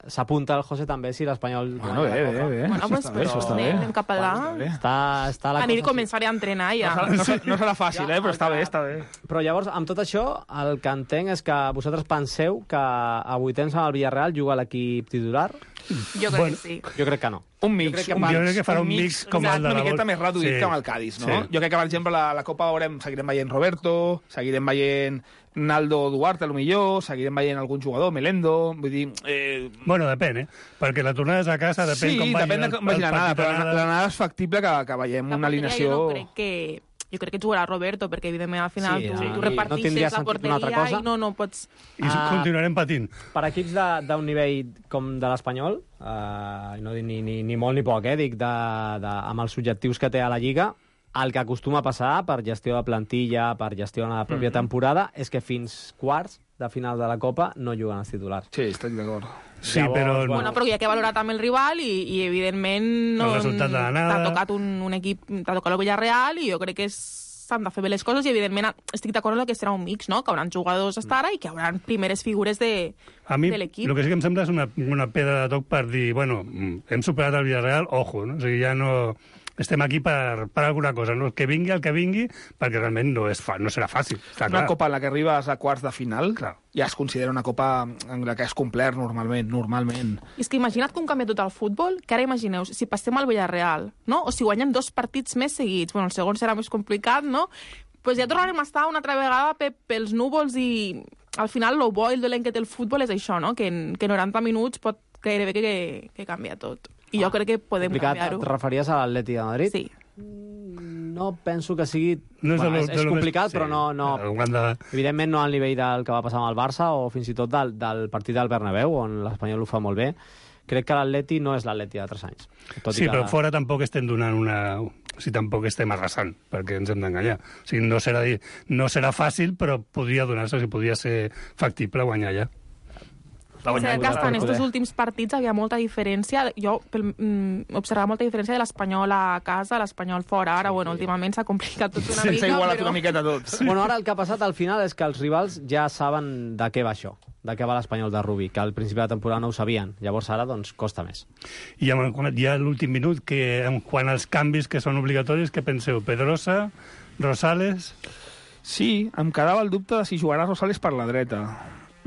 G: s'apunta el José també si l'Espanyol...
K: Bueno, bé, bé, bé.
P: Bueno,
K: Això
P: pues,
K: està bé, això està bé.
P: anem cap allà.
G: Està, està la
P: Aniré
G: cosa...
P: a començar a entrenar ja.
K: No, serà- no, serà- no serà fàcil, eh, però està bé, està bé.
G: Però llavors, amb tot això, el que entenc és que vosaltres penseu que a vuitens amb el Villarreal juga l'equip titular?
P: Jo crec
F: Bueno,
P: que sí.
G: Jo crec que no.
K: Un mix,
G: Jo crec que
K: un,
G: pa-
F: jo crec que farà un mix com el de
K: una
F: la
K: miqueta
F: Vol-
K: més reduït
F: Sí.
K: que amb el Cádiz, no?
F: Sí.
K: Jo crec que, per exemple, la, la Copa veurem, seguirem veient Roberto, seguirem veient Naldo Duarte, a lo millor, seguirem veient algun jugador, Melendo, vull dir... Eh,
F: Bueno, depèn, eh? Perquè la tornada és a casa, depèn
K: sí,
F: com vagi
K: depèn de
F: el-
K: com vagi
F: el
K: l'anada,
F: partit
K: però
F: d'anada.
K: l'anada és factible que, que veiem
P: La
K: una
P: porteria
K: alineació...
P: Jo no crec que... Jo crec que jugarà Roberto, perquè evidentment al final
G: Sí,
P: tu,
G: sí.
P: tu
G: No
P: repartixes
G: tindria
P: la
G: sentit una altra
P: porteria
G: cosa.
P: i no, no pots...
F: I
G: Ah.
F: continuarem patint.
G: Per equips de- d'un nivell com de l'Espanyol, eh, no dic ni, ni, ni molt ni poc, eh, dic de, de, amb els objectius que té a la Lliga, el que acostuma a passar per gestió de plantilla, per gestió de la pròpia
K: Mhm.
G: temporada, és que fins quarts de final de la Copa no juguen els titulars.
K: Sí, estic d'acord.
F: Sí,
G: Llavors,
F: però...
G: bueno,
P: Bueno, però hi ha que valorar també el rival i, i evidentment no,
F: El resultat de l'anada.
P: t'ha tocat un, un equip, t'ha tocat el Villarreal i jo crec que és- s'han de fer bé les coses i evidentment estic d'acord amb que serà un mix, no? Que hauran jugadors hasta ara i que hauran primeres figures de,
F: A mi,
P: de
F: el
P: l'equip.
F: que sí que em sembla és una, una pedra de toc per dir, bueno, mm, hem superat el Villarreal, ojo, no? O sigui, ja no... Estem aquí per, per alguna cosa, no? Que vingui el que vingui, perquè realment no, és fa, no serà fàcil, està
K: Una
F: clar.
K: copa en la que arribes a quarts de final
F: Clar.
K: ja es considera una copa en la que és complert normalment, normalment.
P: I és que imagina't com canvia tot el futbol, que ara imagineu, si passem al Villarreal, no? O si guanyem dos partits més seguits, bueno, el segon serà més complicat, no? Pues ja tornarem a estar una altra vegada pe pels núvols i al final el bo i el dolent que té el futbol és això, no? Que en que noranta minuts pot gairebé que, que, que canvia tot. I jo crec que podem
G: complicat,
P: canviar-ho.
G: et referies a l'Atleti de Madrid?
P: Sí.
G: No penso que sigui...
F: No és,
G: bueno,
F: de lo-
G: és,
F: de
G: és
F: lo més-
G: complicat,
F: sí,
G: però no... no...
F: ho han de...
G: Evidentment no al nivell del que va passar amb el Barça o fins i tot del, del partit del Bernabéu, on l'Espanyol ho fa molt bé. Crec que l'Atleti no és l'Atleti de tres anys. Tot i
F: Sí,
G: que...
F: però fora tampoc estem donant una... O sigui, tampoc estem arrasant, perquè ens hem d'enganyar. O sigui, no serà, no serà fàcil, però podria donar-se, o sigui, podria ser factible guanyar ja.
K: Va guanyar.
P: O sigui, que hasta en estos últims partits havia molta diferència. Jo pel, mm, observava molta diferència de l'Espanyol a casa, l'Espanyol fora. Ara, sí, bueno, últimament s'ha complicat tot una
K: sí,
P: mica.
K: S'ha igualat
P: però...
K: una miqueta tot.
G: Sí. Bueno, ara el que ha passat al final és que els rivals ja saben de què va això, de què va l'Espanyol de Rubí, que al principi de la temporada no ho sabien. Llavors ara, doncs, costa més.
F: I ja l'últim minut, que en quant als canvis que són obligatoris, què penseu? Pedrosa, Rosales...
K: Sí, em quedava el dubte de si jugarà Rosales per la dreta.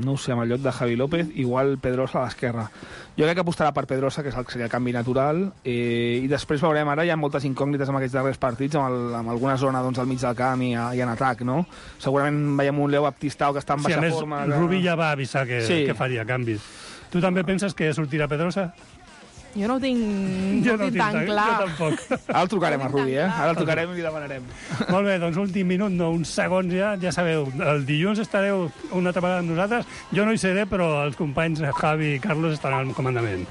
K: No ho sé, amb el lloc de Javi López, igual Pedrosa a l'esquerra. Jo crec que apostarà per Pedrosa, que és el que seria el canvi natural, eh, i després veurem, ara hi ha moltes incògnites amb aquests darrers partits, amb, el, amb alguna zona doncs, al mig del camp i, a, i en atac, no? Segurament veiem un Leo Baptistao que està en
F: sí,
K: baixa
F: més,
K: forma.
F: Que... Rubí ja va avisar que,
K: sí.
F: que faria canvis. Tu també penses que sortirà Pedrosa?
P: Jo no ho tinc, jo no ho tinc tan
F: tan,
P: clar.
F: Jo tampoc.
K: Ara el trucarem a Rubí, eh? Ara el trucarem i li demanarem.
F: Molt bé, doncs últim minut, no, uns segons ja, ja sabeu, el dilluns estareu una altra vegada amb nosaltres. Jo no hi seré, però els companys Javi i Carlos estaran al comandament.